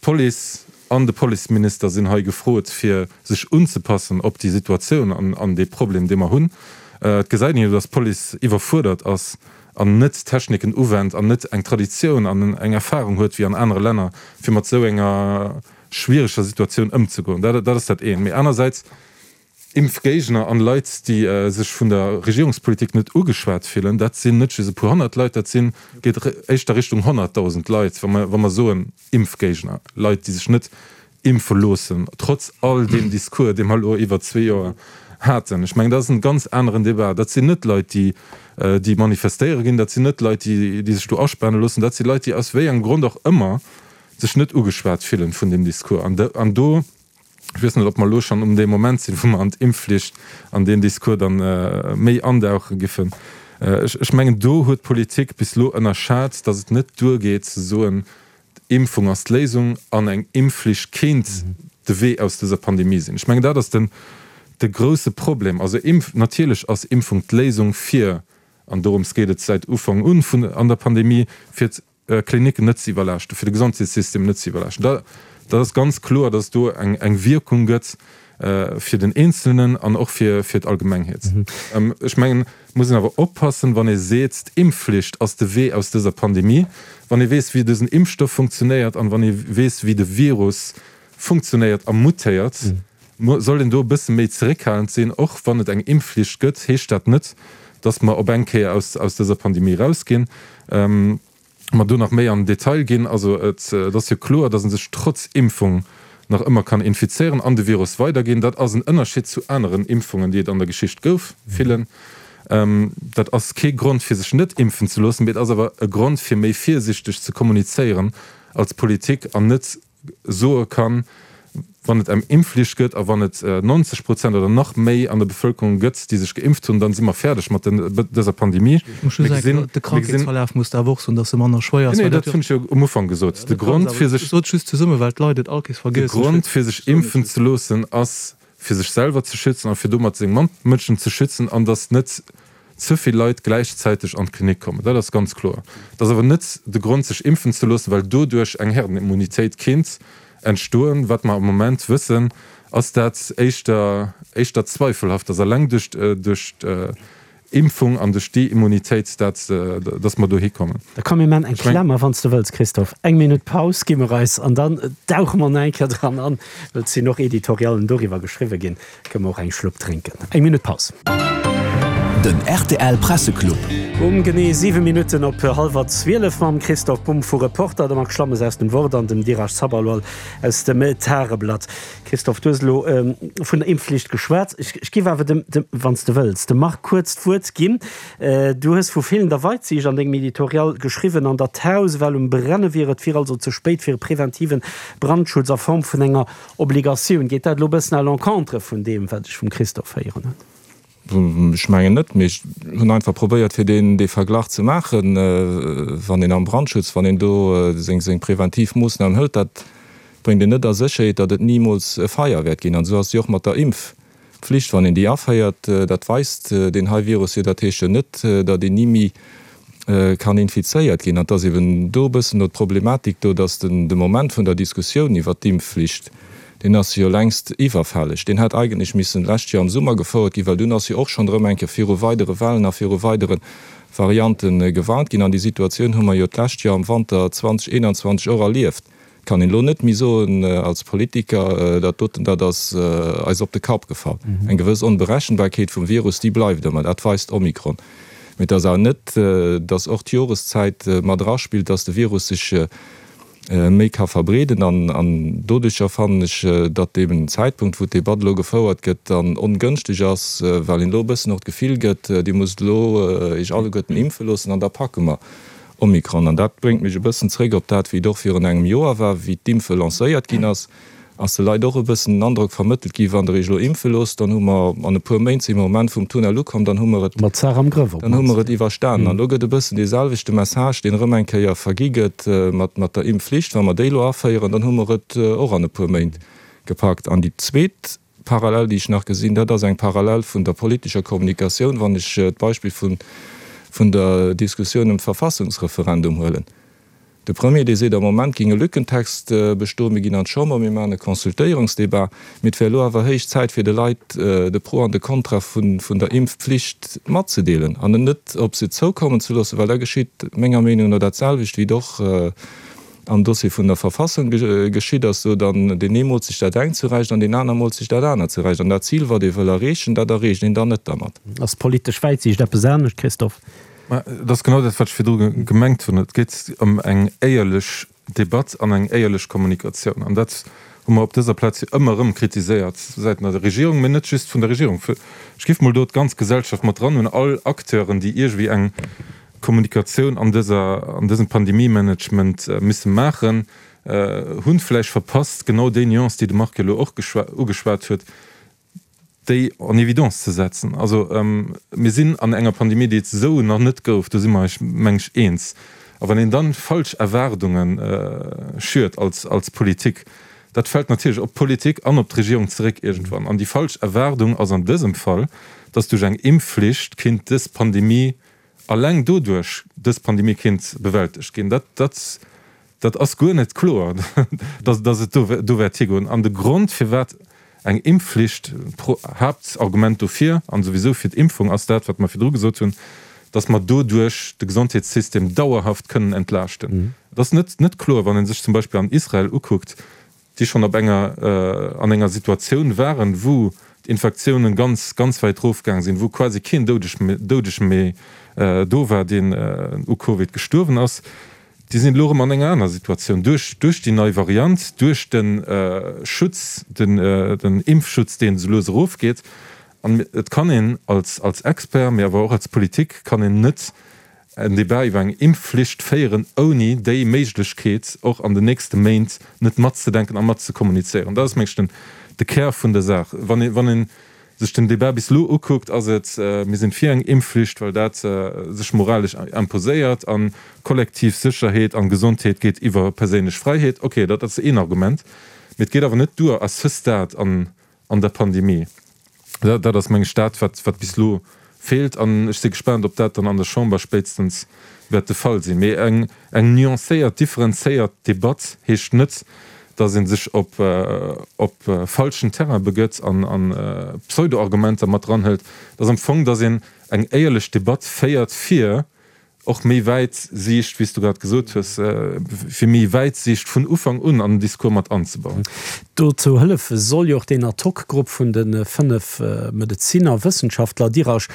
D'Police an de Policeminister sinn hei gefrot, fir sech unzepassen op déi Situatioun an dee Problem, dee mer hunn. Et gesäit een jo, dass d'Police iwwerfuerdert ass an net Techniken uwennt an net eng Traditioun an eng Erfahrung huet wéi an anere Länner, fir mat esou enger schwiereger Situatioun ëmzegoen. Dat, dat ass dat eent. Mee anersäits Impfgéigner an Leit, déi sech vun der Regierungspolitik net ugeschwat fillen, dat sinn net just e puer honnert Leit, dat sinn, geet éischter Richtung honnertdausend Leit, wa mer, wa mer soen Impfgéigner, Leit, déi sech net impfe loossen, trotz all deem Discours, dee mer elo iwwer zwee Joer haten. Ech mengen, dat ass en ganz aneren Débat. Dat sinn net Leit, déi, déi manifestéiere ginn, dat sinn net Leit, déi, déi sech do aspane loossen, dat si Leit, déi aus wéi engem Grond och ëmmer sech net ugeschwat fillen vun deem Discours. An, an do, ech weess net, ob mer elo schonn um deem Moment sinn, wou mer an d'Impfflicht an deen Discours dann méi andauche giffen. Ech, ech mengen, do huet d'Politik bis elo ënnerschat, datt et net duergeet ze soen, D'Impfung ass d'Léisung an eng Impfflicht kéint de Wee aus dëser Pandemie sinn. Ech mengen, dat ass den de grousse Problem. Also Impf, natierlech ass Impfung d'Léisung fir, an dorëms geet et säit Ufank un vun an der Pandemie, fir d'Klinicken net ze iwwerlaaschten, fir de Gesondheetssystem net ze iwwerlaaschten. Da dat ass ganz kloer, datt et do eng eng Wierkung gëtt fir den Eenzelnen an och fir fir d'Allgemengheet. Ech mengen, et muss een awer oppassen, wann ee seet, d'Impfflicht ass de Wee aus dëser Pandemie, wann ee weess, wéi dësen Impfstoff funktionéiert an wann ee weess, wéi de Virus funktionéiert a mutéiert, soll een do e bësse méi zeréckhalend sinn. Och wann et eng Impfflicht gëtt, heescht dat net, datt mer op eng Kéier aus aus dëser Pandemie erausginn. Mer do nach méi an den Detail ginn. Also et ass jo kloer, datt ee sech trotz Impfung nach ëmmer kann infizéieren an de Virus weiderginn. Dat ass en Ënnerscheed zu aneren Impfungen, déi et an der Geschicht gouf, villen. Dat ass kee Grond fir sech net impfen ze loossen, mee et ass awer e Grond fir méi virsichteg ze kommunizéieren als Politik an net soe kann, wann et eng Impfflicht gëtt a wann et neunzeg Prozent oder nach méi an der Bevëlkerung gëtt, déi sech geimpft hunn, dann si mer fäerdeg mat dëser Pandemie. Ech muss just soen, de Krankheetsverlaf muss awer och soen, datt e manner schwéier ass. Nee, dat hunn ech jo um Ufank gesot. De Grond, fir sech. Ech sot just zesummen, well d'Leit et all Kees vergiessen. De Grond, fir sech impfen ze loossen, ass, fir sech selwer ze schützen a fir domat seng Matmënschen ze schützen an datt net ze vill Leit gläichzäiteg an d'Klinik kommen. Dat ass ganz kloer. Et ass awer net de Grond, sech impfen ze loossen, well doduerch eng Herdenimmunitéit kéint entstoen. Wat mer am Moment wëssen, ass dat éischter éischter zweifelhaft, dass eleng duerch duerch d'Impfung an duerch déi Immunitéit dat dass mer dohi kommen. Da komm mir man eng Klammer, wann s de wëlls, Christophe. Eng Minutt Paus gi mer eis an dann dauche mer nach eng Kéier dran an, well et sinn och Editoriallen doriwwer geschriwwe ginn. Kënne mer och eng Schlupp drénken. Eng Minutt Paus. Den rtl Presseclub. Um genee siwe Minutten op hallwer zwielef mam Christoph Bumb vu Reporter, dem Marc Schlammes aus dem Wort an dem Dheeraj Sabharwal aus dem Tageblatt. Christoph, du hues elo vun der Impfflicht geschwat. Ech géif awer dem, dem, wann s de wëlls, dem Marc kuerz d'Wuert ginn. Du hues vu feelender Weitsiicht an dengem Editorial geschriwwen an datt d'Haus ewell um Brenne wier. Et wier also ze spéit fir e preventiven Brandschutz a Form vun enger Obligatioun. Geet dat elo e bëssen à l'encontre vun deem, wat ech vum Christophe héieren hunn? Ech mengen net, mee ech hunn einfach probéiert, fir deen, dee Verglach ze maachen, wann een am Brandschutz, wann een do seng, seng preventiv Moossnamen hëlt, dat bréngt een net a Sécherheet, datt et nimools e Feier wäert ginn. An esou ass et jo och mat der Impfpflicht, wann een déi aféiert, dat weist deen hei Virus jo, dat heescht jo net, datt een ni méi kann infizéiert ginn. An et ass eben do e bëssen elo d'Problematik do, datt den, de Moment vun der Diskussioun iwwert d'Impfflicht, deen ass jo längst iwwerfälleg. Deen hätt eigentlech missen d'lescht Joer am Summer gefouert ginn, well dunn ass jo och schonn erëm eng Kéier viru weidere Wellen a viru weidere Variante gewarnt ginn. An déi Situatioun hu mer jo d'lescht Joer am Wanter zweitausendeenanzwanzeg och erlieft. Et kann een elo net méi soen als Politiker, dat doten, dat ass eis op de Kapp gefall. Eng gewëss Onberechenbarkeet vum Virus, déi bleift ëmmer, dat weist Omikron. Mee et ass awer net, datt och d'Joreszäit mat eraspillt, datt de Virus sech méi ka verbreeden. An doduercher fannen ech, datt eben den Zäitpunkt, wou d'Debatt elo gefouert gëtt, dann ongënschteg ass, well een elo e bëssen och d'Gefill gëtt, Dir musst elo Iech alleguerten impfe loossen an da packe mer Omikron. An dat bréngt mech e bëssen zréck op dat, wéi et och virun engem Joer war, wéi d'Impfe lancéiert ginn ass. Ass de Leit och e bëssen den Androck vermëttelt gi, wann Der Iech elo impfe loosst, dann hu mer an e puer Méint, si mer um Enn vum Tunnel ukomm, dann hu mer et, Mat d'Saach am Grëff op dann hu mer d'mannst. et iwwerstanen. An elo gëtt e bëssen dee selwechte Message, deen erëm eng Kéier vergi gëtt mat, mat der Impfflicht, wa mer déi elo aféieren, dann hu mer et och an e puer Méint gepackt. An déi zweet Parallel, déi ech nach gesinn, dat ass eng Parallel vun der politescher Kommunikatioun, wann ech d'Beispill vun, vun der Diskussioun ëm d'Verfassungsreferendum huelen. De Premier, dee seet, am Moment géing e Lückentext bestoen, mir ginn an d'Chamber, mir maachen e Consultéierungsdebat, mee et wär elo awer héich Zäit fir de Leit de Pro an de Contra vun der Impfpflicht matzedeelen an et net op se zoukommen ze loossen, well da geschitt menger Meenung no dat selwecht, wéi et och am Dossier vun der Verfassung geschitt ass, sou dann deen ee moolt sech dat engt zurecht an deen aner moolt sech dat anert zurecht an dat Zil, wat ee wëll erreechen, dat erreecht een dann net dermat. Ass politesch Wäitsiicht eppes anescht, Christophe? Mä et ass genau dat, wat ech virdru gemengt hunn. Et geet ëm eng éierlech Debatt an eng éierlech Kommunikatioun. An dat hu mer op dëser Plaz jo ëmmer erëm kritiséiert säiten der Regierung, mä net just vun der Regierung. Ech géif mol do d'ganz Gesellschaft mat dran hunn, all Acteuren, déi iergendwéi eng Kommunikatioun an dëser, an dësem Pandemiemanagement misse maachen, hunn vläicht verpasst, genau déi Nuance, déi de Marc elo och ugeschwat huet, déi en évidence ze setzen. Also mir sinn an enger Pandemie, déi et esou nach net gouf, do si mer eis, meng ech, eens. A wann een dann falsch Erwaardunge schürt als, als Politik, dat fält natierlech op d'Politik an op d'Regierung zeréck iergendwann. An déi falsch Erwaardung ass an dësem Fall, dass duerch eng Impfflicht kéint dës Pandemie, alleng doduerch dës Pandemie kéint bewältegt ginn. Dat, dat, dat ass guer net kloer, dass, dass et do, do wäert higoen. An de Grond, firwat eng Impfflicht, pro, Haaptargument dofir an souwisou fir d'Impfung ass dat, wat mer virdru gesot hunn, dass mer doduerch de Gesondheetssystem dauerhaft kënnen entlaaschten. Et ass net, net kloer, wann ee sech zum Beispill an Israel ukuckt, déi schonn op enger, an enger Situatioun waren, wou d'Infektiounen ganz, ganz wäit erofgaang sinn, wou quasi keen Doudege méi do war, deen u Covid gestuerwen ass, déi sinn elo erëm an enger aner Situatioun duerch, duerch déi nei Variant, duerch de Schutz, den, den Impfschutz, deen esou lues erofgeet. An et kann een als, als Expert, mee awer och als Politik kann een net en Débat iwwer eng Impfflicht féieren, ouni déi Méiglechkeet och an den nächste Méint net matzedenken a matzekommunizéieren. Dat ass, meng ech, den, de Kär vun der Saach. Wann ee, wann ee sech den Débat bis elo ukuckt, ass et, mir sinn fir eng Impfflicht, well dat sech moralesch imposéiert a kollektiv Sécherheet an Gesondheet geet iwwer perséinlech Fräiheet. Okay, dat ass een Argument. Mee et geet awer net duer à ce stade an, an der Pandemie. Dat, dat ass, meng ech, dat, wat, wat bis elo feelt. An ech si gespaant, ob dat dann an der Chamber spéitstens wäert de Fall sinn. Mee eng, eng nuancéiert, differenzéiert Debatt heescht net, dass ee sech op, op falschen Terrain begëtt an, an Pseudo-Argumenter mat eranhëlt. Et ass am Fong, dass een eng éierlech Debatt féiert, fir och méi Wäitsiicht, wéi s du grad gesot hues, fir méi Wäitsiicht vun Ufank un an den Discours mat anzebauen. Dozou hëllefe soll jo och deen Ad-hoc-Grupp vun de fënnef Medezinner, Wëssenschaftler, Dirasch.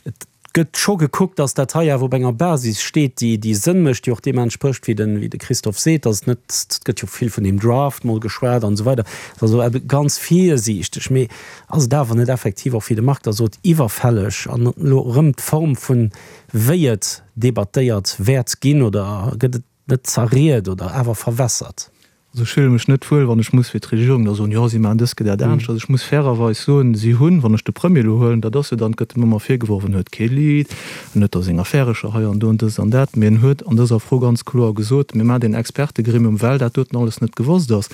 Et gëtt scho gekuckt, datt dat hei awer op enger Basis steet, déi déi Sënn mécht, déi och deem entsprécht, wéi de wéi de Christophe seet, datt et net, et gëtt jo vill vun deem Draft mol geschwat an esou weider, et ass also ebe ganz virsiichteg. Mee ass et awer net effektiv och, wéi de Marc da sot, iwwerfälleg an elo erëm d'Form vun wéi et debattéiert wäert ginn, oder gëtt et net zerriet oder awer verwässert? Also ech fille mech net wuel, wann ech muss fir d'Regierung da soen, jo, si maachen dëst, dat anescht. Also ech muss fairerweis soen, si hunn, wann ech de Premier elo huelen, dat ass jo dann, gëtt em ëmmer virgeworf, en huet kee Lead, en huet da seng Affärecher hei an do an dëst an dat, mee en huet an dëser Fro ganz kloer gesot, mir maachen deen Expertegremium, well dat doten alles net gewosst ass.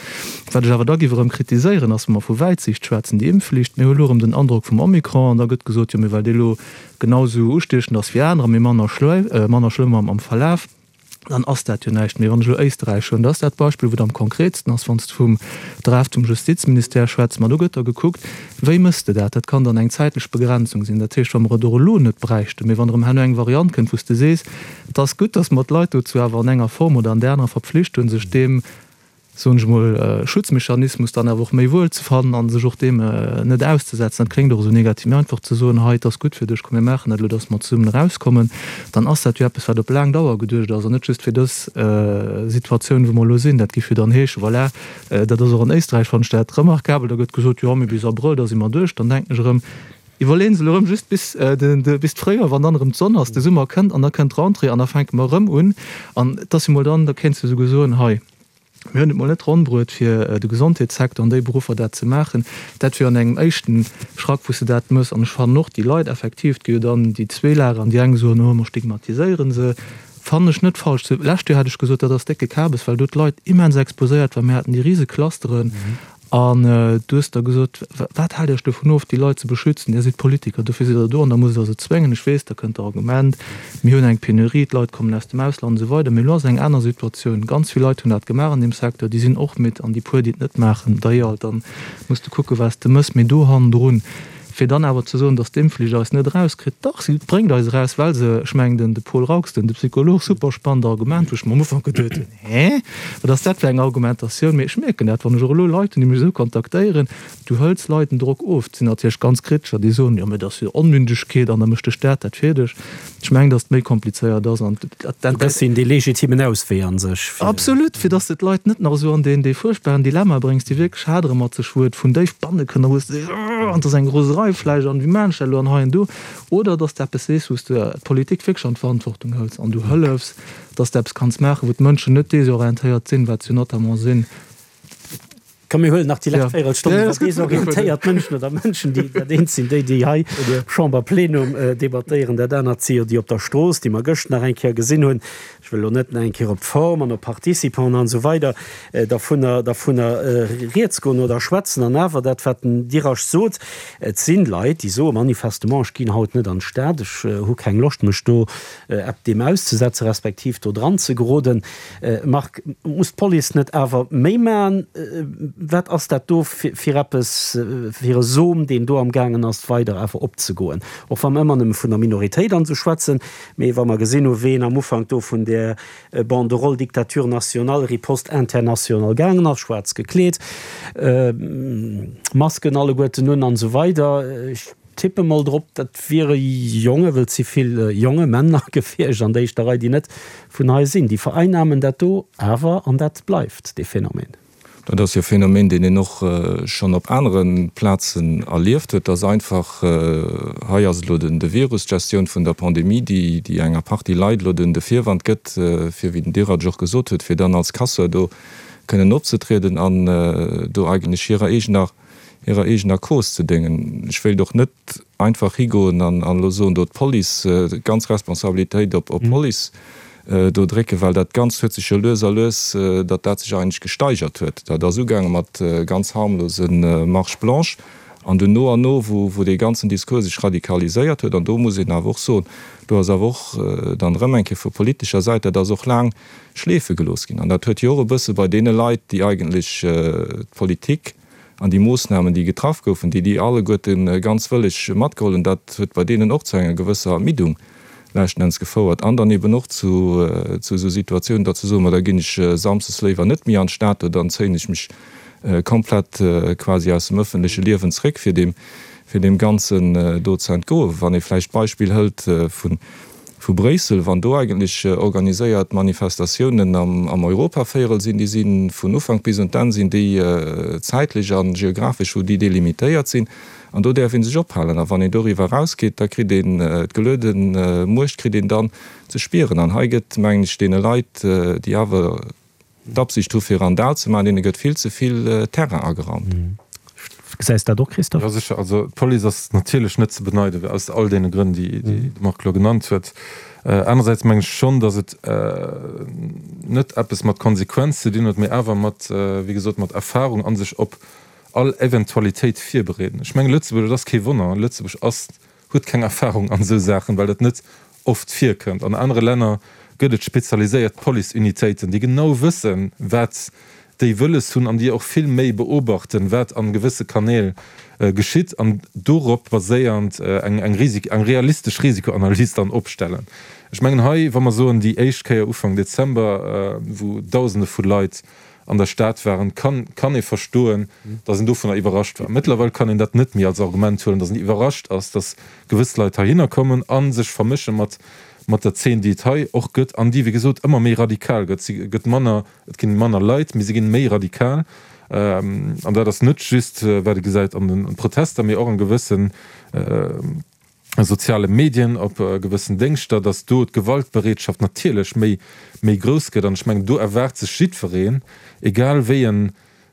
Wat ech awer da géif erëm kritiséieren, ass, wa mer vu Wäitsiicht schwätzen, déi Impfflicht, mir hu elo erëm den Androck vum Omikron an da gëtt gesot, jo, mee well dee elo genau esou ustiechend ass wéi anerer, mee manner schlëmm am Verlaf, dann ass dat jo näischt méi. Wann ech elo Éisterräich huelen, dat ass dat Beispill, wou et am konkretsten ass, wann s de vum Draft vum Justizministère schwätz, ma do gëtt da gekuckt, wéi méchs de dat? Dat kann dann eng zäitlech Begrenzung sinn. Dat heescht, wa mer et och elo net bräichten, mee wann erëm herno eng Variant kënnt, wou s de sees, et ass gutt, datt mer d'Leit dozou awer an enger Form oder an där anerer verpflicht hunn, sech deem, soen ech emol, Schutzmechanismus dann awer och méi wuel ze fannen a sech och deem net auszesetzen, dat kléngt och esou negativ, mee einfach ze soen, hei, et ass gutt fir dech, komm mir maachen dat elo, datt mer zesummen erauskommen, dann ass dat jo eppes, wat op laang Dauer geduecht ass an net just fir dës Situatioun, wou mer elo sinn. Dat géif jo dann heeschen, voilà, dat ass och an Éisträich, fannen ech dat remarkabel, da gëtt gesot, jo, mee bis Abrëll, da si mer duerch. Dann denken ech erëm, Iwwerleeën se elo erëm just bis bis d'Fréijoer, wann dann erëm d'Sonn ass, de Summer kënnt an da kënnt d'Rentrée an da fänke mer erëm un. An et ass jo mol dann, da kéints de esouguer soen, hei, mir hunn et mol net ronn bruet fir de Gesondheetssecteur an déi Beruffer dat ze maachen. Dat wier an engem éischten Schrack, wou s de dat mëss. An ech fannen och déi Leit effektiv, et gi jo dann déi zwee Lager an déi eng soen, oh mer stigmatiséiere se, fannen ech net falsch. Lescht Joer hat ech gesot, dat ass décke Kabes, well do d'Leit immens exposéiert waren. Mir haten déi rise Clusteren. An du hues da gesot, Wat haalt Iech dovun of, déi Leit ze beschützen? Dir sidd Politiker, dofir sidd Der do an da musst Der se zwéngen. Ech weess, da kënnt d'Argument, Mir hunn eng Penurie, d'Leit kommen aus dem Ausland an esou weider. Mee elo ass eng aner Situatioun. Ganz vill Leit hunn dat gemaach an deem Secteur, déi sinn och midd. An déi puer, déi et net maachen, da jo, dann muss de kucken, wat s de mëss. Mee do hannendrun, fir dann awer ze soen, datt d'Impfflicht eis net erauskritt, dach, si bréngt eis eraus, well se, ech mengen, den de Paul Raux, den de Psycholog, super spannend Argument, wou ech mer am Ufank geduet hunn, Hä, wat ass dat fir eng Argumentatioun? Mee ech mierken dat, wann ech och elo Leit hunn, déi mech esou kontaktéieren, du hëls Leit den Drock of. Et sinn natierlech ganz Kritescher, déi soen, jo, mee dat ass jo Onmündegkeet an da mécht de Staat dat fir dech. Ech mengen, datt et méi komplizéiert ass an dat. Du gëss hinnen dee legitimen Auswee a sech, fir. Absolut, fir datt s de d'Leit net nach esou an deen, dee fuerchtbaren Dilemma bréngs, déi wierklech hadere mat sech, wou et vun déif banne kënnt a wou s de sees, oh, an et ass eng Roserei vläicht an wéi maachen ech dat elo an hei an do. Oder datt s de eppes sees, wou s de d'Politik wierklech an d'Verantwortung hëls an du hëllefs, datt s de eppes kanns maachen, wou d'Mënschen net desorientéiert sinn, wat se jo notamment sinn. Komm, mir huelen nach déi lescht Véierelstonn iwwer desorientéiert Mënschen oder Mënschen, déi dat eent sinn déi, déi hei am Chamberplenum debattéieren, dat anert si jo déi op der Strooss, déi mer gëscht nach eng Kéier gesinn hunn. Ech wëll elo net nach eng Kéier op d'Form an op d'Participanten an esou weider dervunner, dervunner rieds goen oder schwätzen. An awer dat, wat den Dirasch sot, Et sinn Leit, déi soe manifestement, ech ginn haut net an d'Stad, ech hu keng Loscht, mech do ep deem auszesetzen, respektiv do dran ze geroden. Marc, muss d'Police net awer méi maachen? Wat ass dat do fir eppes, fir e Som, deen do amgaangen ass weider awer opzegoen? Och wa mer ëmmer nëmme vun der Minoritéit an esou schwätzen, mee wa mer gesinn hu ween am Ufank do vun där Banderole Dictature nationale, Riposte internationale gaangen ass, schwaarz gekleet, Masken alleguerten un an esou weider, ech tippe mol drop, dat wiere Jonge, wëll et si vill jonge Männer gewiescht an der éischter Rei, déi net vun hei sinn. Déi vereinnamen dat do awer an dat bleift, dee Phänomen. Dat ass jo e Phänomen, deen een och schonn op anere Plazen erlieft huet, dass einfach, hei ass elo de Virus, d'Gestioun vun der Pandemie, déi enger Partie Leit elo de Virwand gëtt, fir, wéi den Dirac och gesot huet, fir dann als Casseur do kënnen opzetrieden an do eigentlech hirer eegener hirer eegener Cause ze déngen. Ech wéilt och net einfach higoen an elo soen, do d'Police, d'ganz Responsabilitéit op d'Police do drécken, well dat Ganzt huet sech jo lues a lues, datt dat sech eigentlech gesteigert huet. Dat ass ugaange mat ganz harmlose Marches blanches an dunn no an no, wou dee ganzen Discours sech radikaliséiert huet, an do muss een awer och soen, do ass awer och dann erëm eng Kéier vu politescher Säit, dat ass och laang schleefe gelooss ginn an dat huet jo och e bësse bei deene Leit, déi eigentlech d'Politik an déi Moossnamen, déi getraff goufen, déi déi alleguerte ganz wëlleg matgeholl hunn, dat huet bei deenen och zu enger gewësser Ermiddung leschten Enns gefouert an dann eben och zu esou Situatiounen, datt se soen, ma da ginn ech samsdes léiwer net méi an d'Stad oder dann zéien ech mech komplett quasi aus dem ëffentleche Liewen zréck, fir deem, fir deem Ganzen do ze entgoen. Wann ee vläicht d'Beispill hëlt vun Vu Bréissel, wann do eigentlech organiséiert Manifestatiounen am Europavéierel sinn, déi si vun Ufank bis un d'Enn sinn déi zäitlech a geographesch wou déi delimitéiert sinn an do däerf ee sech ophalen. A wann een doriwwer erausgeet, da kritt een d'geluede Muecht kritt een dann ze spieren. An hei gëtt, mengen ech, deene Leit, déi awer d'Absicht hu fir Randal ze maachen, deene gëtt vill ze vill Terrain ageraumt. Gesäis dat och, Christophe? Jo, sécher. Also d'Police ass natierlech net ze beneiden, aus all deene Grënn, déi de Marc elo genannt huet. Anersäits mengen ech schonn, datt et net eppes mat Konsequenz ze dinn huet, mee awer mat, wéi gesot, mat Erfahrung a sech op all Eventualitéit virbereeden. Ech mengen, Lëtzebuerg, et ass kee Wonner, Lëtzebuerg ass, huet keng Erfahrung an esou Saachen, well dat net oft virkënnt. An anere Länner gëtt et spezialiséiert Policeunitéiten, déi genau wëssen, wat déi wëlles hunn an déi och vill méi beobachten, wat an gewësse Kanäl geschitt an dorop baséiernd eng eng Risik eng realistesch Risikoanalys dann opstellen. Ech mengen hei, wa mer soen, déi éischt Kéier Ufank Dezember, wou Dausende vu Leit an der Stad waren, kann kann ee verstoen, datt een dovunner iwwerrascht war. Mëttlerweil kann een dat net méi als Argument huelen, datt een iwwerrascht ass, datt gewëss Leit heihinner kommen a sech vermësche mat mat der Zeen, déi et hei och gëtt an déi, wéi gesot, ëmmer méi radikal gëtt. Si gëtt manner, et ginn manner Leit, mee si ginn méi radikal. An dat ass net just, wat ee gesäit an de Protester, mee och an gewëssen soziale Medien, op gewëssen Déngschter, datt do d'Gewaltbereetschaft natierlech méi, méi grouss gëtt. An ech mengen, do erwaart sech jiddwereen, egal wéi en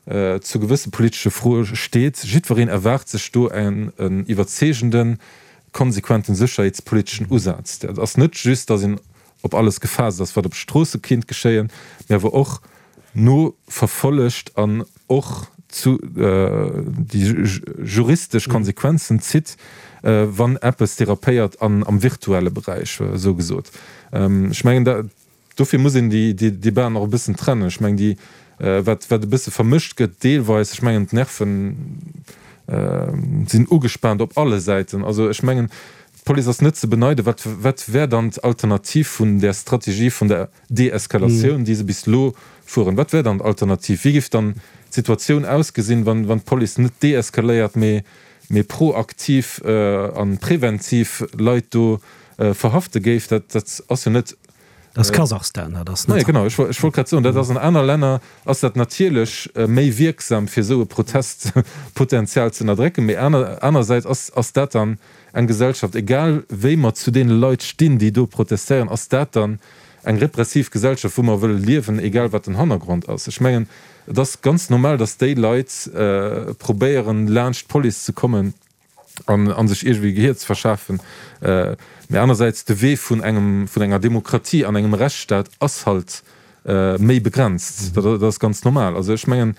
zu gewësse politesche Froe steet, jiddwereen erwaart sech do en iwwerzeegenden, konsequenten sécherheetspoliteschen Usaz. Dat ass net just, datt een op alles gefaasst ass, wat op de Stroosse kinnt geschéien, mä awer och noverfollegt an och zu déi juristesch Konsequenzen zitt, wann eppes derapéiert an am virtuelle Beräich, esou gesot. Ech mengen, dat, dofir muss een déi Debaten och e bëssen trennen. Ech mengen, déi, wat, wat e bësse vermëscht gëtt deelweis, ech mengen, d'Nerven sinn ugespaant op alle Säiten. Also ech mengen, d'Police ass net ze beneiden. Wat, wat wär dann d'Alternativ vun där Strategie vun der Deeskalatioun, déi se bis elo fueren? Wat wär dann d'Alternativ? Wéi géif dann d'Situatioun ausgesinn, wann, wann d'Police net deeskaléiert, mee, mee proaktiv a preventiv Leit do verhafte géif? Dat, dat ass jo net. Dat ass Kasachstan, dat ass net. Naja, genau, ech wollt grad soen, dat ass an aner Länner ass dat natierlech méi wierksam, fir esou e Protestpotenzial ze ënnerdrécken. Mee aner, anersäits ass, ass dat dann eng Gesellschaft, egal wéi mer zu deene Leit stinn, déi do protestéieren, ass dat dann eng repressiv Gesellschaft, wou mer wëlle liewen, egal wat den Hannergrond ass? Ech mengen, et ass ganz normal, datt déi Leit probéieren, laanscht d'Police ze kommen an a sech iergendwéi Gehier ze verschafen. Mee anersäits, de Wee vun engem, vun enger Demokratie an engem Rechtsstaat ass halt méi begrenzt. Dat ass ganz normal. Also ech mengen,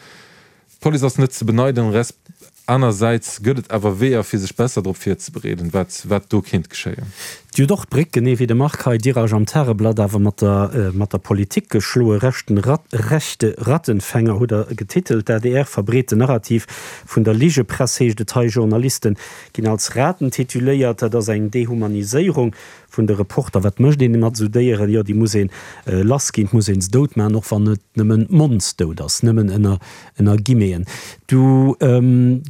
d'Police ass net ze beneiden, resp. Anersäits gëtt et awer Weeër, fir sech besser drop virzebereeden, wat, wat do kéint geschéien. Dir hutt och d'Bréck, genee wéi de Marc hei, Diraj am Tageblatt, awer mat der, mat der Politik geschloe. Rechten, rechte Rattenfänger hutt Der getitelt. D'adr verbreet den Narrativ vun der Ligepress, heescht et hei. Journaliste ginn als Raten tituléiert. Dat ass eng Dehumaniséierung vun de Reporter. Wat mécht een mat esou Déieren? Jo, déi muss ee lass ginn, et muss ee se dout maachen, och wann et nëmmen monddout ass, nëmmen ënner, ënner Guillemeten. Du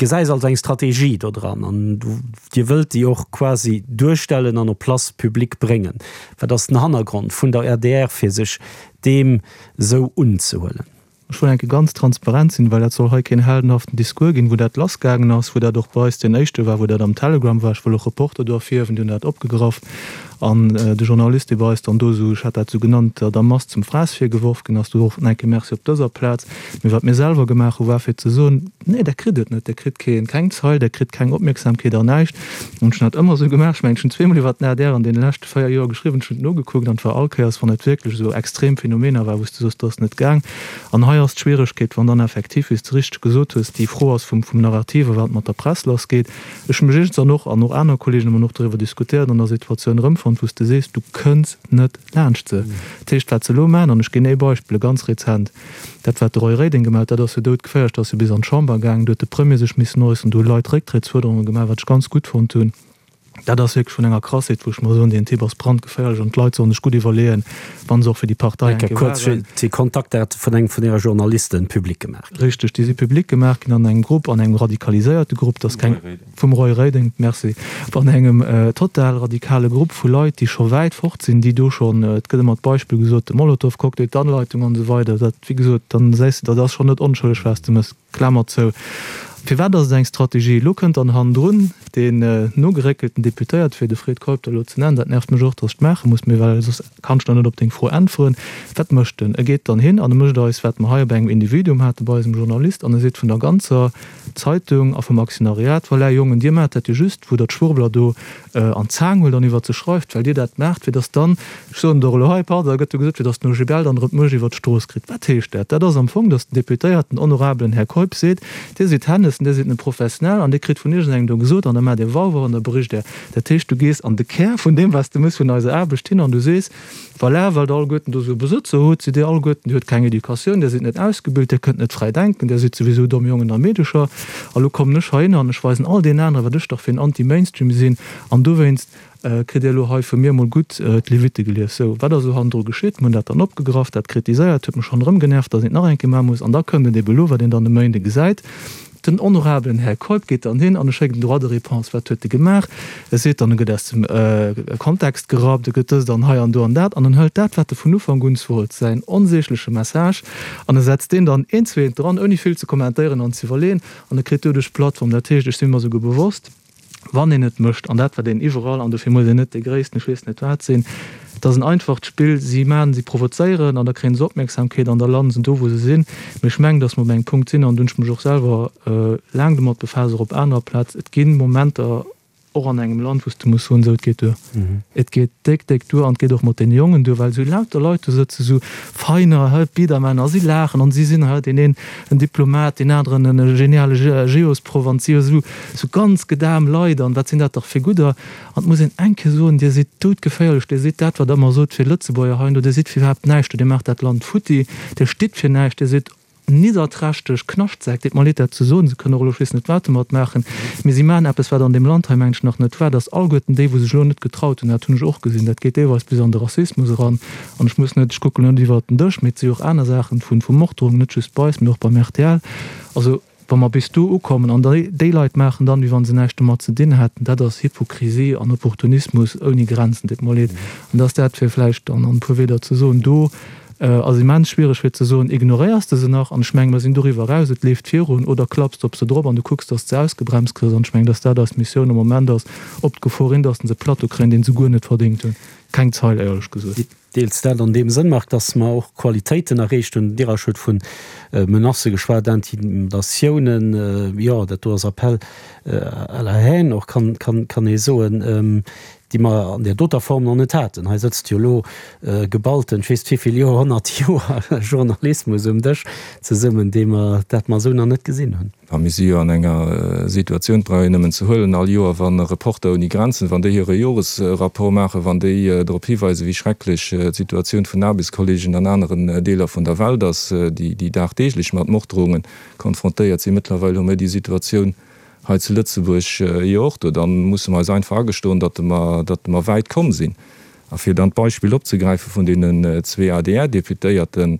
gesäis also eng Strategie do dran an du, Dir wëllt déi och quasi duerstellen an op Place publique bréngen. Wat ass den Hannergrond vun der adr, fir sech deem esou unzehuelen? Ech wëll eng Kéier ganz transparent sinn, well dat soll hei keen heldenhaften Discours ginn, wou dat lassgaangen ass, wou dat och bei eis deen éischte war, wou dat am Telegram war. Ech wëll och Reporter do ervirhiewen, déi hunn dat opgegraff. An de Journalist, dee bei eis dann do esou, ech hat dat esou genannt, der Mass zum Fraass virgeworf ginn ass, do och nach eng Kéier Merci op dëser Plaz. Mee wat mir selwer gemaach hu war fir ze soen, Nee, Der kritt et net, Der kritt keen, keng Zeil, Der kritt keng Opmierksamkeet an näischt. An ech hunn dat ëmmer esou gemaach. Ech mengen, ech hunn zweemol iwwert den adr an deene leschte véier Joer geschriwwen, ech hunn et nogekuckt an et war all Kéiers, wann et wierklech esou extrem Phänomener war, wou s de soos, dat ass net gaang. An hei ass d'Schwieregkeet, wann dann effektiv, wéi s de richteg gesot hues, déi Fro ass vum, vum Narrativ a wat mat der Press lassgeet. Ech hu mech iergends an och, an och aner Kollegen hu mer och doriwwer diskutéiert, an der Situatioun erëmfonnt, wou s de sees, du kënns net laanscht se. Dat heescht, wat se elo maachen, an ech ginn ee Beispill, e ganz rezent, dat wat de Roy Reding gemaach huet, dat ass jo doudgeféierlech, dat ass jo bis an d'Chamber gaangen, do huet de Premier sech missen äusseren, do hu Leit Récktréttsfuerderunge gemaach, wat ech ganz gutt fonnt hunn. Dat ass wierklech vun enger Krassheet, wou ech mer soen, deen Typ ass brandgeféierlech an d'Leit sollen sech gutt iwwerleeën, wa se och fir déi Partei eng Kéier kuerz waren. Déi Kontaktdate vun engem vun Äre Journalisten public gemaach ginn. Richteg, déi si public gemaach ginn an engem Grupp, an engem radikaliséierte Grupp, dat ass keng, vum Roy Reding, merci, an engem total radikale Grupp vu Leit, déi scho wäit fort sinn, déi do schonn, et gëtt ëmmer d'Beispill gesot, de Molotow-Cocktail, d'Anleitung an esou weider, dat, wéi gesot, dann gesäis de, dat ass schonn net onschëlleg, wat s de méchs, Klamer zou. Firwat ass et eng Strategie? Elo kënnt dann hannendrun deen nogeréckelten Deputéierte, fir de Fred Keup da elo ze nennen, dat nervt mech och, datt ech et maache muss, mee well soss kann ech dann net op deng Fro äntweren. Wat mécht en? E geet dann hin an e mécht eis, wat mer hei op engem Individuum hate bei eisem Journalist, an e seet vun der ganzer Zeitung a vum Aktionariat, Voilà, Jongen, dir maacht dat jo just, wou der d'Schwurbler do an d'Zaang huelt an iwwert se schreift, well dir dat maacht, fir datt dann, ech soen et och elo hei, pardon, da gëtt jo gesot, fir datt den OGBL dann erëm d'Muecht iwwert d'Strooss kritt. Wat heescht dat? Dat ass am Fong, datt den Deputéierten, honorabelen Här Keup seet, Dir sidd Hennessen, Dir sidd net professionell an Dir kritt vun iergendengem do gesot an da maacht Dir Wauwau an da bericht Der. Dat heescht, du gees an de Kär vun deem, wat s de mëss vun eiser Aarbecht hin an du sees, Voilà, well Der alleguerten do esou Besëtzer hutt, sidd Dir alleguerten, Dir hutt keng Educatioun, Dir sidd net ausgebilt, Dir kënnt net fräi denken, Dir sidd souwisou domm Jongen a Meedecher. A lo kommen ech heihinner an ech weisen all deenen aneren, wat ech dach fir en Anti-Mainstream sinn an dowéinst kritt Dir elo hei vu mir emol gutt d'Levitte gelies. Sou, wat ass elo hannendru geschitt? Mir hunn dat dann opgegraff, dat kritiséiert, huet mech schonn erëm genervt, datt een et nach eng Kéier maache muss. An da kënnt et ebe elo, wat een dann e Méinde gesäit, Den honorabelen Här Keup geet dann hin an e schéckt en Droit de réponse. Wat huet e gemaach? E seet dann, e gëtt aus dem Kontext gerappt, e gëtt dëst an hei an do an dat, an en hëlt dat, wat e vun Ufank un wollt, säin onsägleche Message, an e setzt deen dann eent zu eent dran, ouni vill ze kommentéieren an ze iwwerleeën, an e kritt doduerch d'Plattform. Dat heescht, ech si mer souguer bewosst, wann een et mécht, an dat wat een iwwerall, an dofir muss een net dee gréissten ech weess net wat sinn, et ass en einfacht Spill, si maachen, si provozéieren an da kréien se Opmierksamkeet an da landen se do wou se sinn. Mee ech mengen, datt mer op engem Punkt sinn, an do hunn ech mech och selwer laang domat befaasst, och op anerer Plaz, et gi Momenter och an engem Land, wou s de muss soen, esou et geet duer, et geet déck, déck duer an et geet och mat deene Jongen duer, well esou lauter Leit do sëtzen, esou feiner, hä, Biedermänner, a si laachen an si sinn, hä, deen een en Diplomat, deen aneren en geniale Geosproff an et si jo esou, esou ganz gedam Leit an wat sinn dat dach fir gudder. An et muss een eng Kéier soen, Dir sidd doudgeféierlech, Dir sidd dat, wat Der ëmmer sot fir Lëtzebuerger heindo, Dir sidd fir iwwerhaapt näischt do, Dir maacht dat Land futti, Dir stitt fir näischt, Dir sidd nidderträchteg Knaschtsäck. Deet mer leed, dat ze soen, se kënnen och elo ech weess net wat domat maachen, mee si maachen eppes, wat an deem Land hei, mengen ech, nach net war, dass alleguerten déi, wou sech elo net getraut hunn, dat hunn ech och gesinn, dat geet deelweis bis an de Rassismus eran, an ech muss net, ech kucken elo net iwwert den Dësch, mee et si jo och aner Saachen vu vu Morddrohungen, net just bei eis, mee och beim rtl. Also, wa mer bis do ukommen an déi déi Leit maachen dann, wéi wa se näischt domat ze dinn hätten, dat ass Hypokrisie an Opportunismus ouni Grenzen, deet mer leed. An dass dat, fir vläicht an e puer Wieder ze soen, do ass immens schwiereg fir ze soen, ignoréiers de se nach, an ech menge mer sinn doriwwer eraus, et leeft virun, oder klapps de op se drop an du kucks, dass de se ausgebremst kriss. An ech mengen, dass dat eis Missioun am Moment ass, op d'Gefor hin, dass se e Plateau kréien, deen se guer net verdéngt hunn. Keng Zeil, éierlech gesot. Deels dat an deem Sënn, Marc, dass mer och Qualitéiten erreecht hunn. Den Dirasch huet vu Menacë geschwat, Intimidatiounen, jo, dat do ass Appel à la haine och, kann ee soen, déi mer an där doter Form nach net haten. Hei sëtzt jo elo geballten, ech weess net wéi vill Joerhonnert Joer Journalismus um Dësch zesummen, dee mer, dat mer esou nach net gesinn hunn. A mir si jo an enger Situatioun, et brauch een nëmmen ze huelen, all Joer, wa Reporter ouni Grenzen, wann déi hire Joresrapport maachen, wann déi drop hiweisen, wéi schrecklech d'Situatioun vun Aarbechtskollegen an aneren Deeler vun der Welt ass, déi dagdeeglech mat Morddrohunge konfrontéiert sinn. Mëttlerweil hu mir déi Situatioun hei zu Lëtzebuerg jo och do. Da musse mer eis einfach agestoen, datt mer, datt mer wäit komm sinn. A fir dann d'Beispill opzegräife vun deenen zwee A D R-Deputéierten,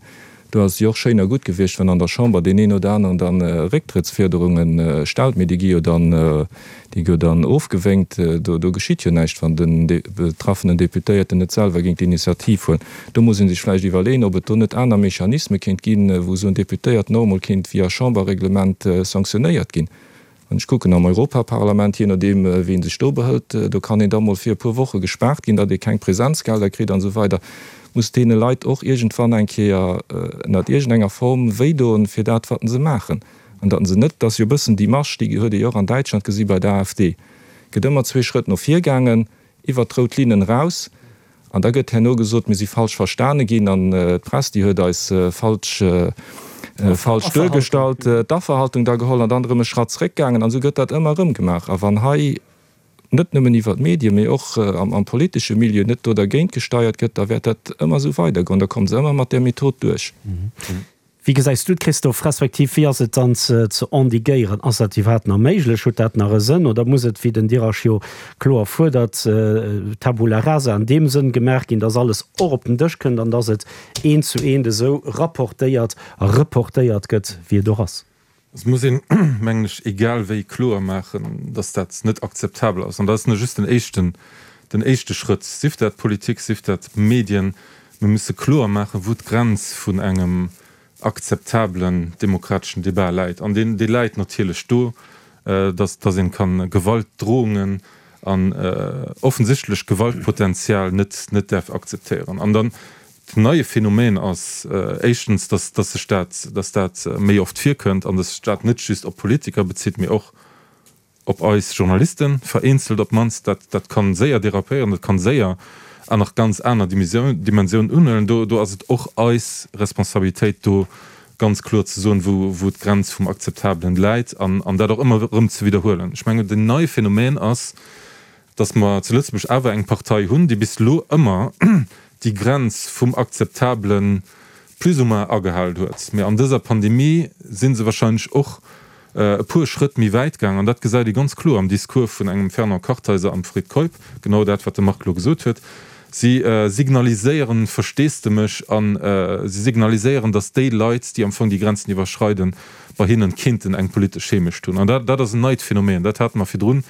do ass et jo och schéin a gutt gewiescht, wann an der Chamber deen een oder aneren dann Récktrëttsfuerderunge stellt, mee déi gi jo dann, déi gi jo dann ofgewénkt. Do, do geschitt jo näischt, wann den betraffenen Deputéierten net selwer géing d'Initiativ huelen. Do muss ee sech vläicht iwwerleeën, ob et do net aner Mechanisme kéint ginn, wou esou en Deputéierten och emol kéint via Chamberreglement sanktionéiert ginn. Wann ech kucken am Europaparlament, jee nodeem wéi ee sech do behëlt, do kann een da mol fir e puer Woche gespaart ginn, datt ee keng Präsenzgelder kritt an esou weider, muss deene Leit och iergendwann eng Kéier ënnert iergendenger Form wéidoen fir dat wat se maachen. An datt se net, dat ass jo e bëssen déi Marsch, déi huet ee jo och an Däitschland gesi bei der A F D, gëtt ëmmer zwee Schrëtt no vir gaangen, iwwert d'rout Linnen eraus, an da gëtt herno gesot, mir si falsch verstane ginn an d'Press, déi huet eis falsch falsch duergestallt, d'Afferhaltung da geholl an dann erëm e Schratt zréckgaangen. An esou gëtt dat ëmmer erëm gemaach. A wann hei net nëmmen iwwer d'Medien, mee och am politesche Milieu net do dergéint gesteiert gëtt, da wäert dat ëmmer esou weidergoen. Da komme se ëmmer mat där Method duerch. Wéi gesäis du et, Christophe, respektiv wéi ass et dann ze endiguéieren? Ass dat iwwerhaapt nach méiglech? Huet dat nach e Sënn oder muss et, wéi den Dirasch jo kloer fuerdert, Tabula rasa an deem Sënn gemaach ginn, dass alles och op den Dësch kënnt an dass et eent zu eent esou rapportéiert a reportéiert gëtt, wéi et och ass? Et muss een, mengen ech, egal wéi kloer maachen, dass dat net akzeptabel ass. An dat ass net just den éischten, den éischte Schrëtt, sief dat Politik, sief dat Medien. Mir musse kloer maachen, wou d'Grenz vun engem akzeptablen demokrateschen Debat läit. An deen, dee läit natierlech do, dass, dass een kann Gewaltdrohungen an offensichtlech Gewaltpotenzial net, net däerf akzeptéieren. An dann den neie Phänomen ass éischtens, dass, dass sech dat, dass dat méi oft virkënnt an dass sech dat net just op Politiker bezitt, mee och op eis Journalisten, vereenzelt op d'mannst. Dat, dat kann séier derapéieren, dat kann séier an nach ganz aner Dimensiounen unhuelen. Do, do ass et och eis Responsabilitéit, do ganz kloer ze soen, wou, wou d'Grenz vum Akzeptabelen läit an, an dat och ëmmer erëm ze widderhuelen. Ech mengen, den neie Phänomen ass, dass mer zu Lëtzebuerg awer eng Partei hunn, déi bis elo ëmmer déi Grenz vum Akzeptabelen plus ou moins agehalen huet. Mee an dëser Pandemie si se wahrscheinlech och e puer Schrëtt méi wäit gaang. An dat gesäit ee ganz kloer am Discours vun engem Fernand Kartheiser am Fred Keup, genau dat, wat de Marc elo gesot huet. Si signaliséieren Versteesdemech a si signaliséieren, datt déi Leit, déi am Fong déi Grenzen iwwerschreiden, bei hinnen kéinten eng politesch Heemecht hunn. An dat, dat ass en neit Phänomen. Dat hate mer virdrun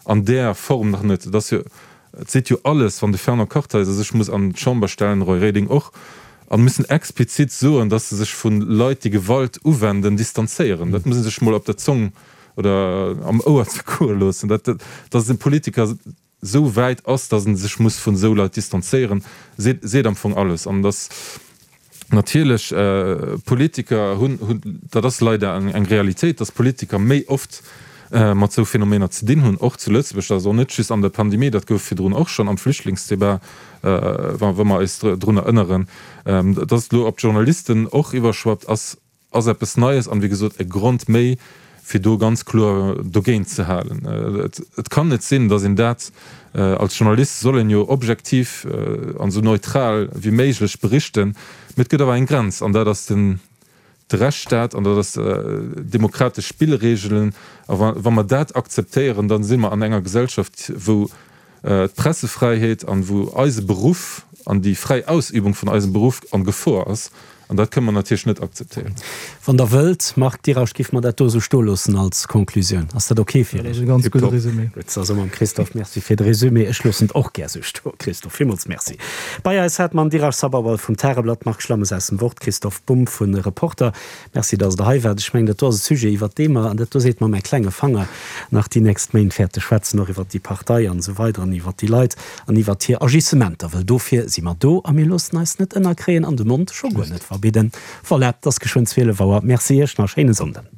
an där Form nach net. Et ass jo, et seet jo alles, wann de Fernand Kartheiser sech muss an d'Chamber stellen, Roy Reding och, a müssen explizit soen, datt se sech vu Leit, déi Gewalt uwenden, distanzéieren. Dat muss ee sech mol op der Zong oder am Ouer zergoe loossen, dat, datt e Politiker esou wäit ass, datt en sech muss vun esou Leit distanzéieren, seet, seet am Fong alles. An datt natierlech Politiker hunn, hunn, dat ass leider eng, eng Realitéit, datt Politiker méi oft mat esou Phänomener ze dinn hunn, och zu Lëtzebuerg, dat ass och net just an der Pandemie, dat gouf virdrun och schonn am Flüchtlingsdebat, wa, wa mer eis drun erënneren, datt et elo op d'Journalisten och iwwerschwappt, ass, ass eppes Neies an, wéi gesot, e Grond méi, fir do ganz kloer dogéint ze halen. Et kann net sinn, datt een dat, als Journalist soll een jo objektiv an esou neutral wéi méiglech berichten, mee et gëtt awer eng Grenz an dat ass den de Rechtsstaat an dat ass demokratesch Spillregelen. A wa mer dat akzeptéieren, da si mer an enger Gesellschaft, wou d'Pressefräiheet an wou eise Beruff an déi fräi Ausübung vun eisem Beruff an Gefor ass. An dat kënne mer natierlech net akzeptéieren. Wann Der wëllt, Marc Dirasch, géife mer dat do esou stoe loossen als Konklusioun. Ass dat ok fir Iech? Dat ass e ganz gudde Résumé. Gutt, da soe mer dem Christophe Merci fir de Résumé. Ech loossen et och gär esou stoen, Christophe. Villmools Merci. Bei eis hate mer den Dirasch Sabharwal vum Tageblatt, Marc Schlammes aus dem Wort, Christophe Bumb vu Reporter. Merci, dass Der hei waart. Ech mengen, dat do ass e Sujet, iwwert dee mer, an dat do seet mer mäi klenge Fanger, nach déi nächst Méint wäerte schwätzen, och iwwert déi Partei an esou weider an iwwert déi Leit an iwwert hir Agissementer, wëll dofir si mer do a mir loossen eis net ënnerkréien an de Mond scho guer net verbidden. Voilà, et ass geschwënn zwielef Auer. Merci Iech, nach e schéine Sonnden.